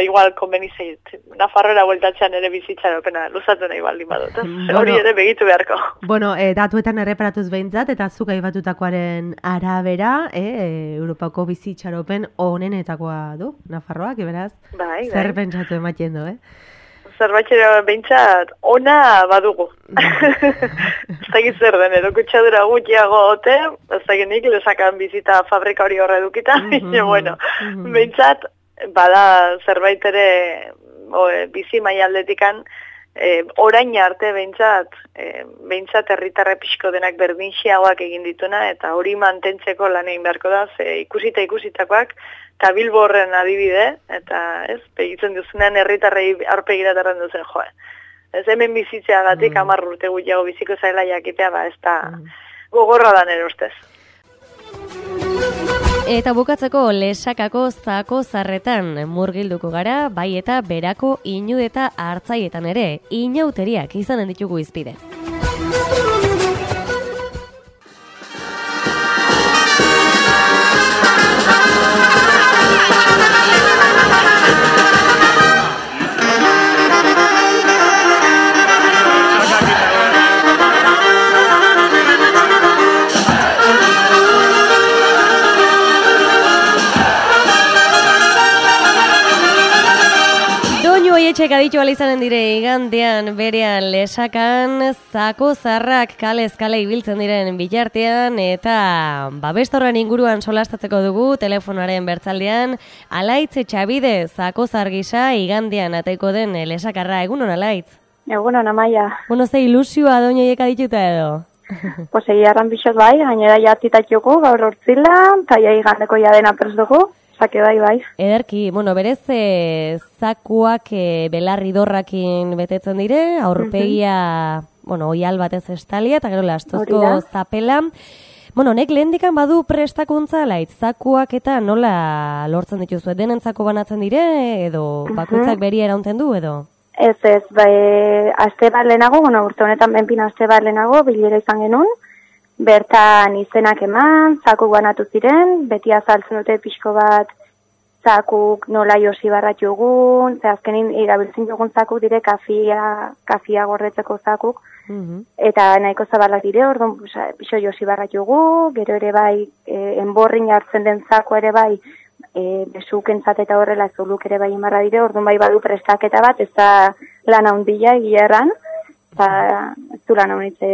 igual konbeni zeit, Nafarrora bueltatzean ere bizitxaropena luzatu nahi baldin badut. Hori ere begitu beharko. Bueno, datuetan erreparatuz behintzat, eta zuk aibatutakoaren arabera, Europako bizitxaropen honenetakoa du, Nafarroak, beraz? Bai. Zer pentsatu ematen du, Zerbatxera behintzat ona badugu. Ez dakit zer den, edo kutsadura gutxiago ote, ez dakit nik lesakan bizita fabrika hori horre edukita, bueno, behintzat, bada zerbait ere bizi maialdetikan, orain arte behintzat herritarre pixko denak berdinxiagoak egin dituna, eta hori mantentzeko lan egin beharko da, ikusitakoak, eta Bilbo horren adibide, eta begitzen duzunean herritarrei aurpegiratarren duzen joe. Ez hemen bizitzeagatik 10 urte gutxiago biziko zaila jakitea, ez da gogorra da nire ustez. Eta bukatzeko Lesakako zako zarretan murgilduko gara, bai eta berako inu eta hartzaietan ere, inauteriak izanen ditugu izpide. Etxek aditu alizanen dire igandean berean Lesakan, zako zarrak kalez kale ibiltzen diren bitartean, eta babestorren inguruan solastatzeko dugu telefonaren bertzaldean, Alaitz Etxabide zako zargisa igandean ateko den Lesakarra. Egunon, Alaitz? Egunon, Amaia. Bueno, ze ilusioa doinoiek adituta edo? Pues egiarran bixot bai, gainera jatitatuko gaur hortzila, eta igandeko jadena prest dugu. Bai. Ederki, bueno, berez zakuak belarri dorrakin betetzen dire, aurpegia, bueno, oial batez estalia, eta gero lastuzko zapela. Bueno, honek lehendikan badu prestakuntza, Alaitz, zakuak eta nola lortzen dituzu, denentzako banatzen dire, edo bakoitzak beria eraunten du, edo? Ez, aste bat lehenago, bueno, urte honetan benpin aste bat lehenago, bilera izan genuen, bertan izenak eman, zakuk banatu ziren, beti azaltzen dute pixko bat zakuk nola josi barrat jogun, ze azkenin irabiltzen jogun zakuk dire kafia gordetzeko zakuk, eta nahiko zabalak dire, orduan pixo josi barrat jogu, gero ere bai, enborrin jartzen den zaku ere bai, besukentzat eta horrela zuluk ere bai imarra dire, orduan bai badu prestaketa bat, ez da lan handia egia erran, eta ez du lan hanitze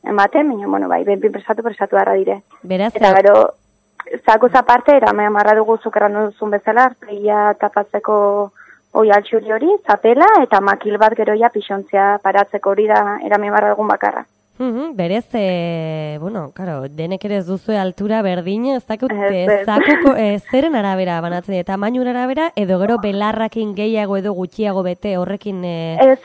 ematen, baina, bueno, bai, benpin prestatu harra dire. Beraz, eta gero, zakuz aparte, erame amarra dugu zukerran duzun bezala, arpegia tapatzeko oialtxuri hori, zapela, eta makil bat gero ja pixontzia paratzeko hori da erame amarra dugun bakarra. Berez, bueno, claro, denek ere ez duzue altura berdin, ez dakit, zeren arabera banatzen, tamainun arabera, edo gero belarrakin gehiago edo gutxiago bete horrekin... Ez,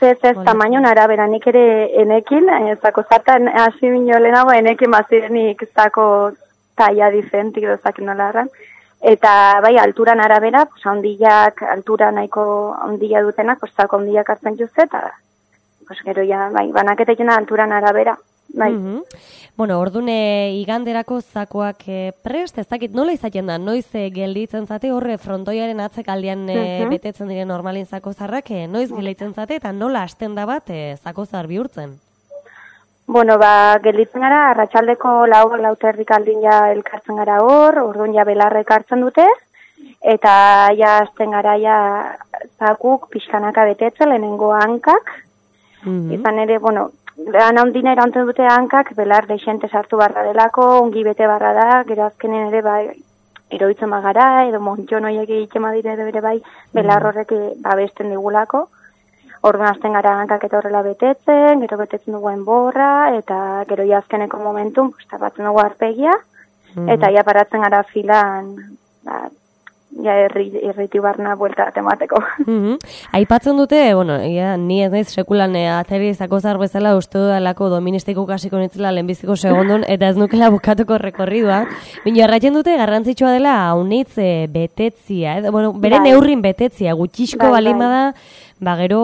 tamainun arabera, nik ere enekin, zako zartan hasi bino lehenago, enekin bazirenik zako taia diferentik edo zakin nola erran. Eta bai, alturan arabera, pues, ondilak, altura nahiko ondila dutenak, pues, zako ondilak hartzen juzte, eta pues, gero ja, bai, banaketekena alturan arabera. Bai. Bueno, ordune iganderako zakoak prest, ez dakit nola izaten da, noiz gelditzen zate, horre frontoiaren atzekaldean betetzen diren normalin zakozarrak, noiz gelditzen zate, eta nola hasten da bat zakozar bihurtzen? Bueno, gelditzen gara, arratsaldeko lauterrik aldin ja elkartzen gara orduan ja belarrek hartzen dute, eta ja hasten gara ja zakuk pixkanaka betetzen, lehenengo hankak, izan ere, bueno, Lehan ondina erantzen dute hankak, belar deixente sartu barra delako, ongi bete barra da, gero azkenen ere bai, eroitzen magara, edo montxo noiek egiten badire edo ere bai, belar horrek babesten digulako. Orduan azten gara hankak eta horrela betetzen, gero betetzen duguen borra, eta gero azkeneko momentun, tapatzen dugu arpegia, eta ja paratzen gara filan, ja erriti barna buelta temateko. Aipatzen dute, bueno, ni ez naiz sekulan ateri zakozar bezala uste dudalako doministiko kasiko nitzela lehenbiziko segondun, eta ez nukela bukatuko rekorridua. Bino, arratzen dute garrantzitsua dela haunitz betetzia, bueno, bere neurrin betetzia, gutxixko balima da, gero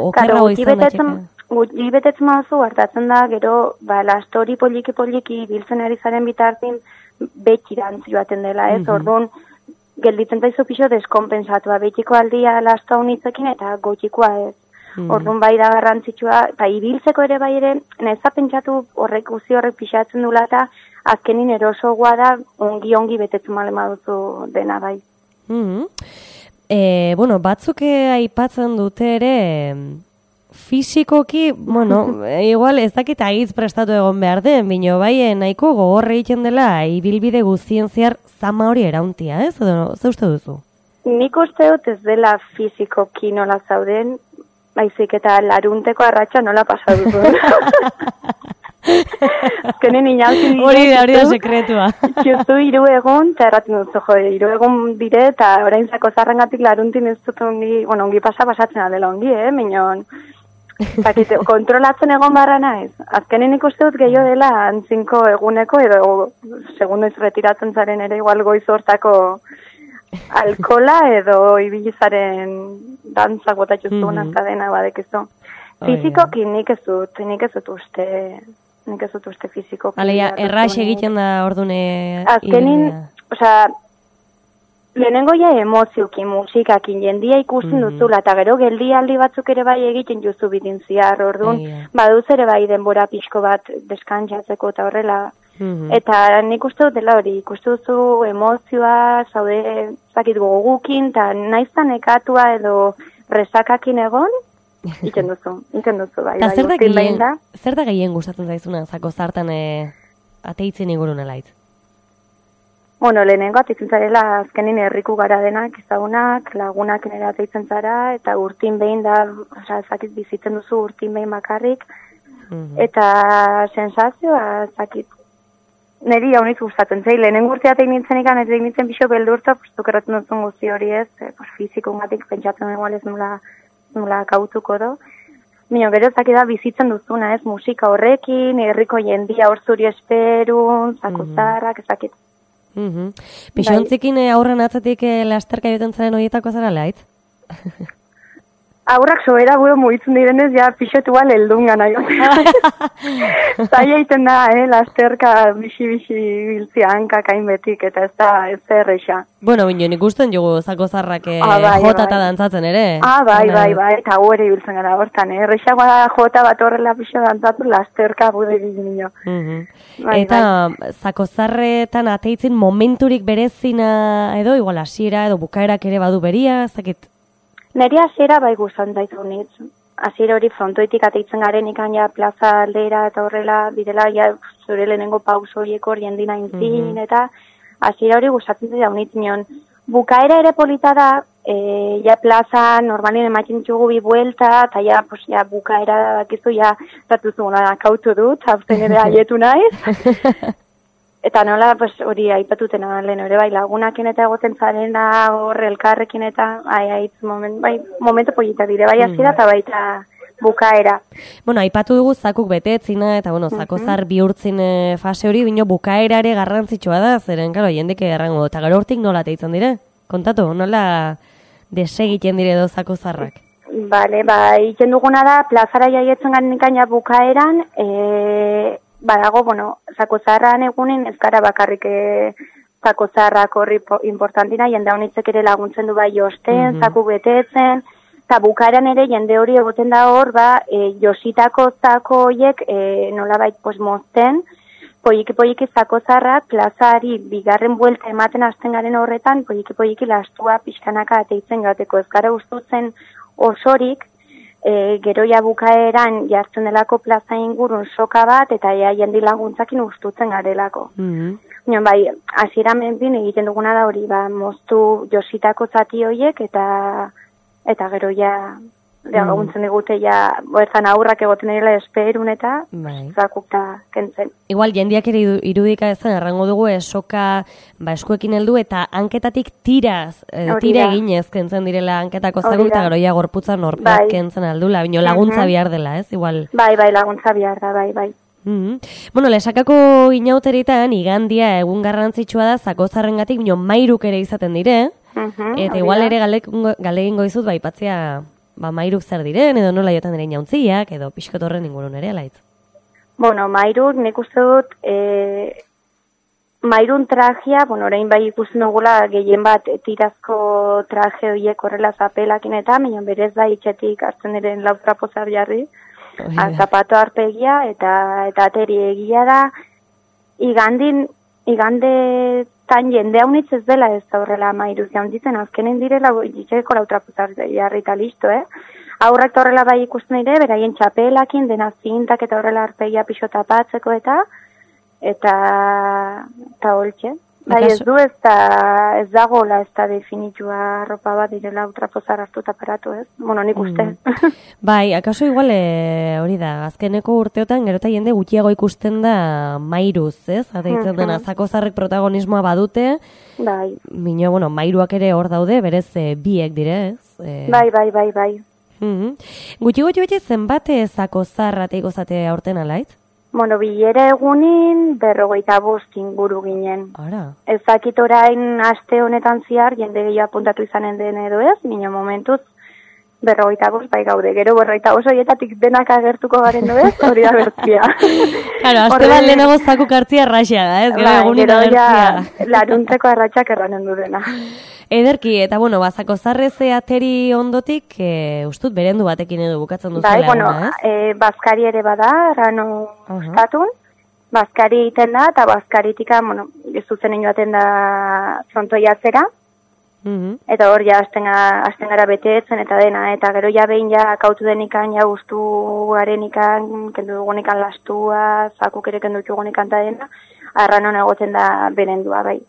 okerrago izan batxeka. Gutxi betetzen mazu, hartatzen da, gero, lastori poliki biltzen ari zaren bitartin betxirantzi baten dela, ez, orduan, gelditzen zaizu pixo deskompensatua, betiko aldia lasta unitzekin eta gotxikoa ez. Orduan bai da garrantzitsua, eta ibiltzeko ere bai ere, neza pentsatu horrek pixatzen dula eta azkenin erosogoa da ongi betetzen malema duzu dena bai. Bueno, batzuk aipatzen dute ere, fisikoki, bueno, igual ez dakit agiz prestatu egon behar den, bino bai nahiko gogorre egiten dela ibilbide guztien zehar zama hori erauntia, ez? Edo, ze uste duzu? Nik uste dut ez dela fisikoki nola zauden, baizik eta larunteko arratsa nola pasa duzu. Azkenen inautzen dire. Hori da sekretua. Justu 3 egun, eta erraten dut, 3 egun dire, eta orain zako zarrengatik laruntin ez dut ongi pasatzen adela ongi, minon. Kontrolatzen egon barra naiz. Azkenen ikuste dut gehiago dela antzinko eguneko edo segundoiz retiratzen zaren ere igual goiz hortako alkola edo ibilizaren dantzak botatxuzun azkadena badekizu. Fizikoki nik ez dut uste fizikoki. Aleia, erraix egiten da ordune... Azkenin, lehenengo ja emoziokin, musikakin, jendia ikusten duzula, eta gero geldialdi batzuk ere bai egiten juzu bidin ziar, orduan, baduz ere bai denbora pixko bat deskantzatzeko eta horrela. Eta nik uste dut dela hori, ikuste duzu emozioa, zaude, zakit gogukin, eta naiztan ekatua edo rezakakin egon, iten duzu, bai. Zer da gehien gustatzen zaizuna, zako zartan ateitzen ingurun alaitz? Bueno, lehenengo ateitzen zarela azkenin herriku gara denak, ezagunak, lagunak nire ateitzen zara, eta urtin behin da, zakit bizitzen duzu urtin behin bakarrik, eta sensazioa, zakit, niri hauniz gustatzen zei, lehenengo urtea tein nintzen ikan, ez egin nintzen pixo beldurta, erratzen duzun guzti hori ez, fizikungatik pentsatzen egual ez nula kautuko do. Mino, gero zakida bizitzen duzuna ez, musika horrekin, herriko jendia hor zuri esperun, zakuzarrak, ezakit. Pixontzikin aurren atzatik lasterka joten zaren horietako zara laitz? Aurrak sobera buro mugitzen direnez, ja pixotu bal eldun gana Zaila iten da, lasterka bixi biltzia hankak hainbetik, eta ez da erreixa. Bueno, binen ikusten jugu zako zarrak jota eta dantzatzen ere. Bai, eta gu ere biltzen gara hortan, erreixagoa da jota bat horrela pixo dantzatu, lasterka bude gizminio. Eta zako zarretan ateitzen momenturik berezina edo, igual hasiera edo bukaerak ere badu beria, zakit? Neri hasiera bai guztan zaitu nitz. Hasiera hori frontoitik ateitzen garen ikan ja plaza aldera eta horrela bidela ja zure lehenengo pauso horiek hor jendina intzin eta hasiera hori gustatzen zaitu nitz nion Bukaera ere polita da, ja plaza normalien ematen ditugu bi buelta, eta ja, pues, ja bukaera dakizu, ja, zatuzu kautu dut, hauzen ere aietu naiz. Eta nola, pues, hori aipatutena lehen ere, bai, lagunakin eta egoten zarena, hor elkarrekin eta, momentu polita dire, bai hasiera eta baita bukaera. Bueno, aipatu dugu zakuk betetzina, eta bueno, zakozar bihurtzin fase hori, bino bukaera ere garrantzitsua da, zeren, karo, jendeke errango, eta gero hortik nola teitzen dire? Kontatu, nola desegiten dire edo zakozarrak? Bale, egiten duguna da, plazara jaietzen garen ikaina bukaeran, badago, bueno, zakozarran egunin ez gara bakarrik zakozarrak horri importantina, jende honitzek ere laguntzen du bai josten, zaku betetzen, eta bukaeran ere jende hori egoten da hor, jositako zako horiek nolabait mozten, poiki zakozarrak plazari bigarren buelta ematen hasten garen horretan, poiki lastua pixkanaka ateitzen gateko ez gara ustutzen osorik, geroia bukaeran jartzen delako plaza ingurun soka bat, eta jendi laguntzakin ustutzen garelako. Bai, hasiera menpin egiten duguna da hori, moztu jositako zati horiek, eta gero ja laguntzen digute bertan aurrak egoten direla esperun eta zakukta kentzen. Igual, jendiak ere irudika ezan, errango dugu soka eskuekin heldu eta hanketatik tira eginez kentzen direla hanketako zakuk, eta gero ja gorputza norpeak kentzen aldula, bino laguntza bihar dela, ez? Igual. Bai, laguntza bihar da, bai. Bueno, lesakako inauteritan, igandia egun garrantzitsua da zakozarrengatik, bino mairuk ere izaten dire, eta igual ere galegingo izut, aipatzea mairuk zer diren, edo nola jotan diren jauntziak, edo pixkotorren ingurun ere, alaitz? Bueno, mairuk, nik uste dut, mairun trajea, orain bai ikusten dugula gehien bat tirazko traje horiek horrela zapelakin eta, minon berez da itxetik hartzen diren lau trapozar jarri, zapato arpegia eta ateri egia da, igande tan jende haunitz ez dela ez da horrela mairuz jaunditzen, azkenen direla itxeko lau trapozar jarri eta listo, Aurrak horrela bai ikusten dire, beraien txapelakin, dena zintak eta horrela arpegia pixo tapatzeko eta holtxe. Bai, ez du ez dagoela ez da definitua ropa bat direla ultrapozar hartu taparatu, ez? Bueno, nik uste. Bai, akaso igual hori da, azkeneko urteotan gero eta jende gutxiago ikusten da mairuz, ez? Ateitzen dena, zakozarrek protagonismoa badute, bai. Bino, bueno, mairuak ere hor daude, berez biek dire, ez? Bai. Gutxi zenbat zakozarrateiko zate aurten alaitz? Bueno, bilera egunin 55 inguru ginen. Ara. Ezakit orain aste honetan zihar, jende gehiago apuntatu izanen den edo ez, minio momentuz 55 bai gaude, gero 55 horietatik denak agertuko garen du ez, hori da bertzia. Claro, aste bat lehenago zakuk hartzia arraxia da, ez? Gero egunin agertzia. Laruntzeko arratxak erranen du dena. Ederki, eta bueno, zakozarreze ateri ondotik, ustut berendu batekin edo bukatzen duzela. Bai, bueno, bazkari ere bada, errano ustatun. Bazkari egiten da, eta bazkaritika, bueno, zuzen joaten da frontoiatzera. Eta hor ja hasten gara betetzen eta dena, eta gero ja behin ja kautu denikan, ja guztu garenikan, kendu dugunikan lastua, zakuk ere kendu dugunikan eta dena, arranon egoten da berendua, bai.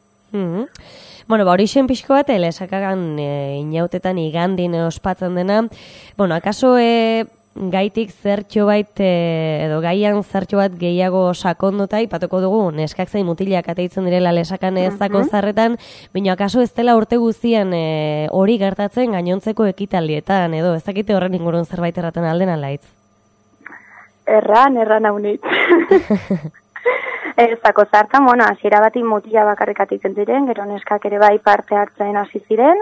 Bueno, hori xen pixko bat, lesakagan inautetan igandin ospatzen dena. Bueno, akaso gaitik zertxo bait, edo gaian zertxo bat gehiago sakondota, ipatuko dugu, neskak zein mutilak ateitzen direla lesakan zakozarretan, baina akaso ez dela urte guztian hori gertatzen gainontzeko ekitaldietan, edo ez dakite horren ingurun zerbait erraten alden alaitz? Erran haunit. Zakozartan, bueno, hasiera bati mutila bakarrik atitzen ziren, gero neskak ere bai parte hartzen hasi ziren.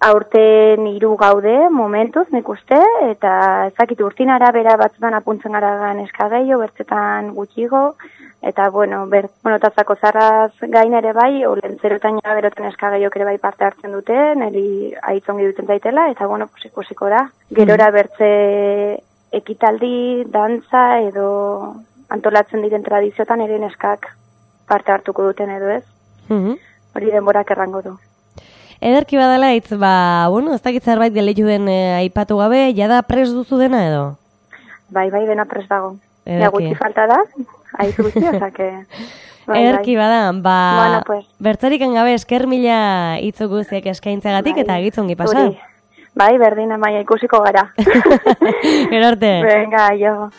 Aurten 3 gaude momentuz, nik uste, eta ezakit urtin arabera batzutan apuntzen gara neska gehiago, bertzetan gutxigo, eta bueno, eta zakozarraz gain ere bai, olentzerotan ja beroten neska gehiago ere bai parte hartzen dute, niri aitzongi duten zaitela, eta bueno, ikusiko da. Gerora bertze ekitaldi, dantza edo antolatzen diren tradiziotan ere neskak parte hartuko duten edo ez. Hori denborak errango du. Ederki badala hitz, bueno, ez dakit zerbait geleitu den aipatu gabe, jada pres duzu dena edo? Bai, dena pres dago. Ja gutxi falta da, aiz guzti, osake... Erki bada, Bueno, pues. bertzarik gabe esker mila hitzu guztiak eskaintzagatik eta gitzongi pasa. Bai, berdin Amaia ikusiko gara. Gero arte. Venga, jo.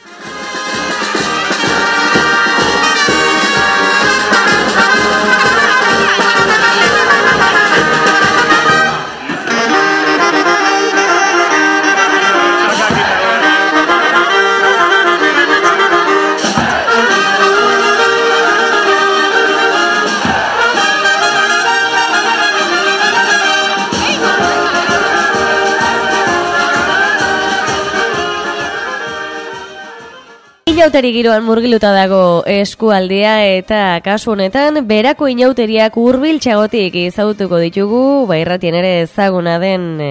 Inauteri giroan murgiluta dago eskualdea eta kasu honetan berako inauteriak hurbiltzagotik ezagutuko ditugu, irratien ere ezaguna den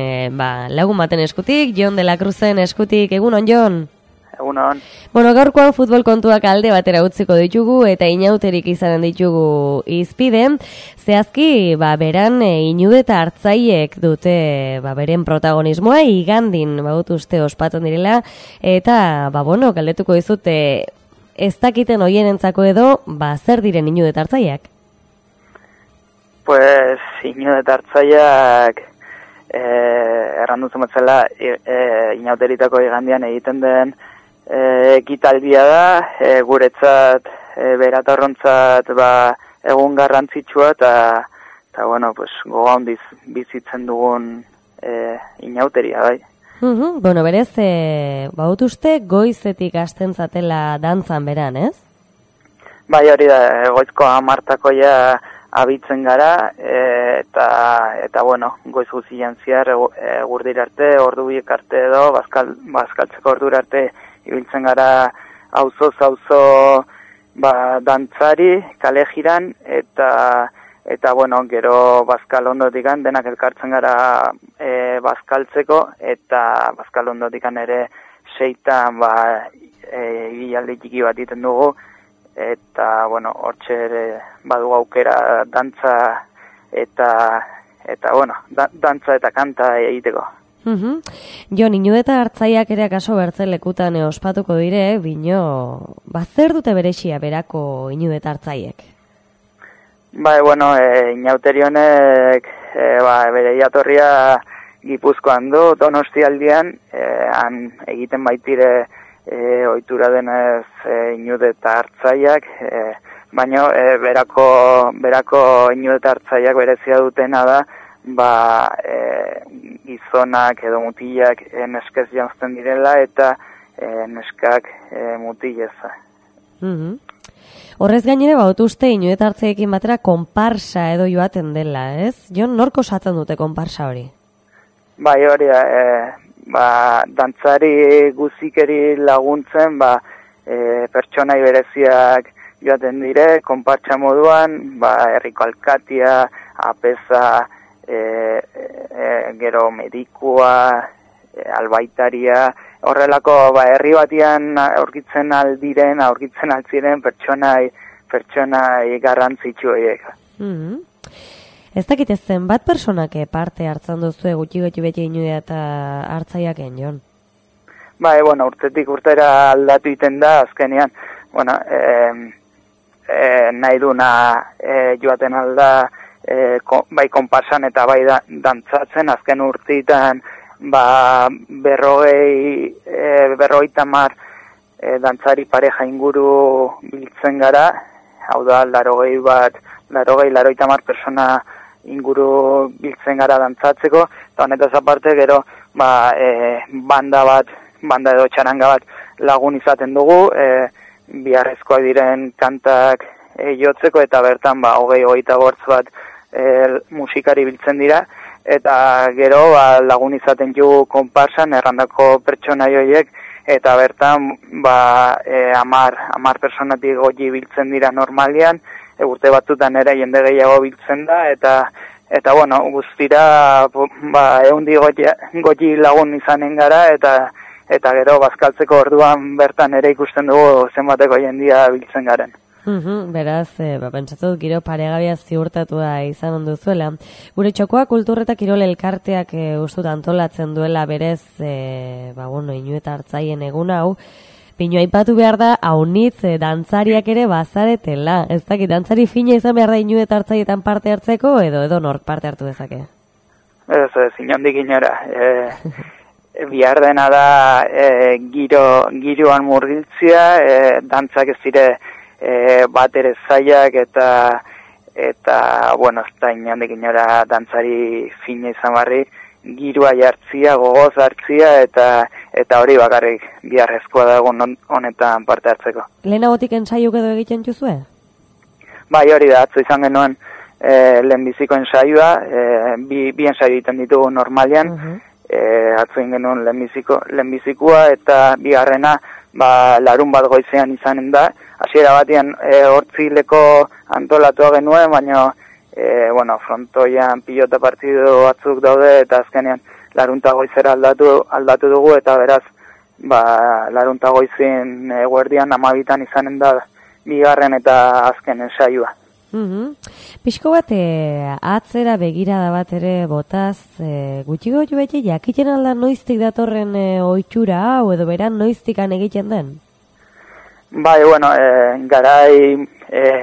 lagun baten eskutik, Jon de la Cruzen eskutik. Egunon, Jon? Egunon. Bueno, gaurkoan futbol kontuak alde batera utziko ditugu eta inauterik izanen ditugu izpide. Zehazki, beran Iñude eta Artzaiek dute beren protagonismoa igandin badut uste ospatzen direla eta galdetuko dizute ez dakiten hoienentzako edo zer diren Iñude eta Artzaiek? Pues Iñude eta Artzaiek errandu zumetzela inauteritako igandian egiten den ekitaldia da, guretzat beratorrontzat egun garrantzitsua eta bueno, pues goga hondiz bizitzen dugun inauteria, bai. Bueno, berez, badut uste goizetik hasten zatela dantzan beran, ez? Bai, hori da, goizko 10 abitzen gara, eta bueno, goiz guzian zehar eguerdir arte, ordu biek arte edo, bazkaltzeko ordura arte ibiltzen gara auzo dantzari, kale jiran, eta bueno, gero bazkal ondotikan, denak elkartzen gara bazkaltzeko, eta bazkal ondotikan ere 6 ibilaldi txiki bat iten dugu, eta bueno, hortxe ere badu aukera dantza eta bueno, dantza eta kanta egiteko. Jon, Iñude eta Artzaiak ere akaso bertzen lekutan ospatuko dire, bino, zer dute berexia berako Iñude eta Artzaiek? Bai, bueno, inauteri honek bere jatorria Gipuzkoan du, Donostialdean, han egiten baitire ohitura denez Iñude eta Artzaiak, baina berako Iñude eta Artzaiak berezia dutena da, gizonak edo mutilak neskez janzten direla eta neskak mutileza. Horrez gainere uste Iñude eta Artzaiekin batera konparsa edo joaten dela, ez? Jon, norko osatzen dute konparsa hori? Bai, hori da, dantzari guzikeri laguntzen, pertsonai bereziak joaten dire, konpartsa moduan, herriko alkatia, apeza, gero medikua, albaitaria, horrelako herri batian aurkitzen altziren pertsonai garrantzitsu horiek. Ez dakit zenbat personak parte hartzen duzue gutxi beti Iñude eta Artzaiaken, Jon? Bai, bueno, urtetik urtera aldatu iten da, azkenean, bueno, nahi duna joaten alda, bai konparsan eta bai dantzatzen, azken urteetan 50 dantzari pareja inguru biltzen gara, hau da 80 persona inguru biltzen gara dantzatzeko, eta honetaz aparte gero banda edo txaranga bat lagun izaten dugu, biharrezkoak diren kantak jotzeko, eta bertan 20-30 bat musikari biltzen dira, eta gero lagun izaten ju konparsan errandako pertsonai horiek, eta bertan 10 personatik goji biltzen dira normalian, urte batzutan ere jende gehiago biltzen da, eta bueno, guztira 100 goji lagun izanen gara, eta gero bazkaltzeko orduan bertan ere ikusten dugu zenbateko jendia biltzen garen. Beraz, pentsatut giro paregabia ziurtatua izan onduzuela. Gure txokoa kultur eta kirol elkarteak ustut antolatzen duela berez, Iñude eta Artzaien egun hau. Pinu aipatu behar da, haunitz dantzariak ere bazaretela. Ez dakit, dantzari fina izan behar da inu eta hartzaietan parte hartzeko, edo nork parte hartu dezake? Ez, inondik inora. Bihar dena da giroan murgiltzia, dantzak ez dire bat ere zaiak eta bueno, ez da inondik inora dantzari fina izan barri, giroa jartzia, gogoz hartzia eta hori bakarrik biharrezkoa da egun honetan parte hartzeko. Lehenagotik ensaiuk edo egiten juzue? Bai, hori da, atzo izan genuen lehenbiziko ensaioa, bi ensaio egiten ditugu normalian, atzo egin genuen lehenbizikoa eta bigarrena larun bat goizean izanen da. Hasiera batean hortzileko antolatua genuen, baina bueno, frontoian pilota partido batzuk daude eta azkenean larunta goizera aldatu dugu eta beraz larunta goizin eguerdian 12 izanen da bigarren eta azken ensaioa. Pixko bat, atzera begirada bat ere botaz, gutxi gotu beti jakiten alda noiztik datorren ohitura hau edo beran noiztikan egiten den? Bai, bueno, garai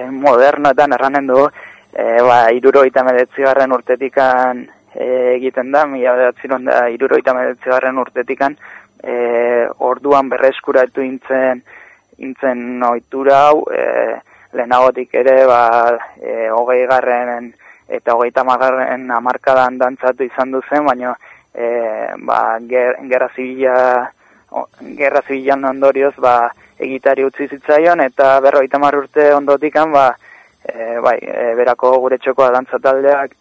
modernoetan erranen du, 79. urtetikan egiten da, 1979. urtetikan, orduan berreskuratu intzen ohitura hau, lehenagotik ere 20. eta 30. hamarkadan dantzatu izan duzen, baina gerra zibilan ondorioz egitari utzi zitzaion eta 50 urte ondotikan berako gure txokoa dantza taldeak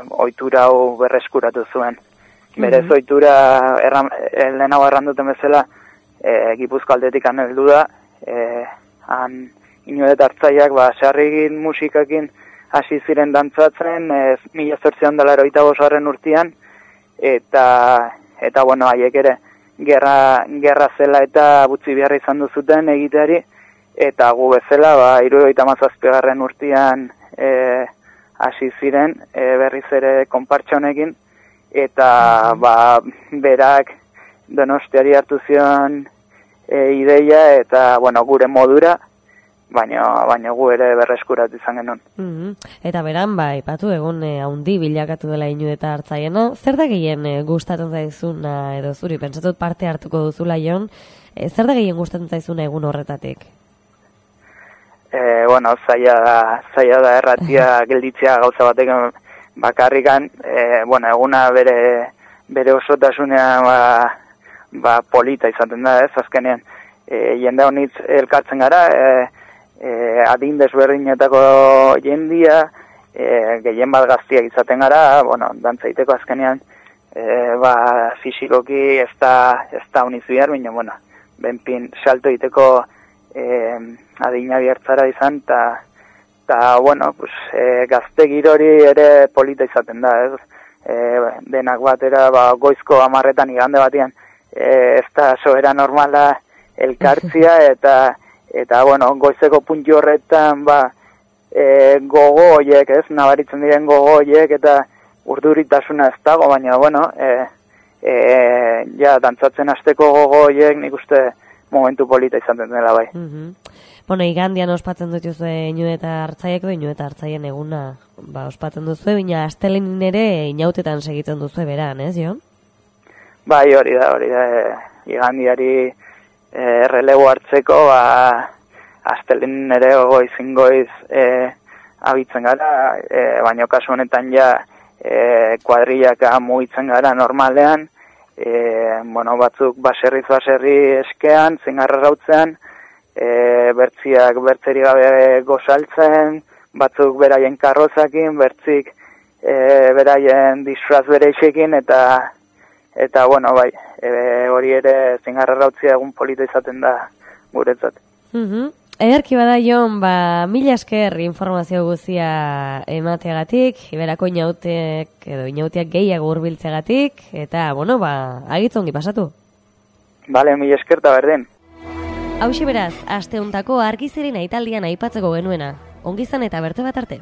ohitura hau berreskuratu zuen. Berez ohitura lehenago erranduten bezala Gipuzko aldetikan heldu da, han inu eta hartzaiak sarrigin musikakin hasi ziren dantzatzen 1985 urtean eta bueno, haiek ere gerra zela eta butzi beharra izan duzuten egiteari eta gu bezala 77. urtean hasi ziren berriz ere konpartsa honekin eta berak Donostiari hartu zion ideia eta bueno, gure modura, baina gu ere berreskuratu izan genuen. Eta beran, ipatu egun haundi bilakatu dela inu eta hartzaiena, zer da gehien gustatzen zaizuna edo zuri, pentsatut parte hartuko duzula Jon, zer da gehien gustatzen zaizuna egun horretatik? Bueno, zaila da erratia gelditzea gauza batek bakarrikan, bueno, eguna bere osotasunean polita izaten da, ez, azkenean, jende honitz elkartzen gara, adin desberdinetako jendia, gehien bat gaztiak izaten gara, bueno, dantzaiteko azkenean, fisikoki ez da uniz bihar, baina, bueno, benpin salto iteko adina bihartzara izan, eta bueno, pues, gazte girori ere polita izaten da, ez? Denak batera, goizko 10 igande batean, ez da soera normala elkartzia, eta bueno, goizeko puntu horretan, gogo horiek, ez? Nabaritzen diren gogo horiek, eta urduritasuna ez dago, baina, bueno, dantzatzen hasteko gogo horiek, nik uste momentu polita izaten dela bai. Bueno, igandian ospatzen duzu inu eta hartzaiek edo inu eta hartzaien eguna ospatzen duzu, baina astelenin ere inautetan segitzen duzu beran, ez, Jon? Bai, hori da, igandiari errelebo hartzeko, astelenin ere goiz abitzen gara, baina kasu honetan kuadrillaka mugitzen gara normalean, bueno, batzuk baserri eskean, zingarra rautzean, bertziak bertzeri gabe gozaltzen, batzuk beraien karrozakin, bertzik beraien disfraz bereixekin, eta bueno, bai, hori ere zingarra rautzia egun polita izaten da guretzat. Ederki bada Jon, mila esker informazio guztia emateagatik, iberako inautiak gehiago hurbiltzeagatik, eta, bueno, agitzongi pasatu. Bale, mila esker eta berden. Hauxe beraz, aste hontako argiziren aitaldian aipatzeko genuena. Ongizan eta berte bat arte.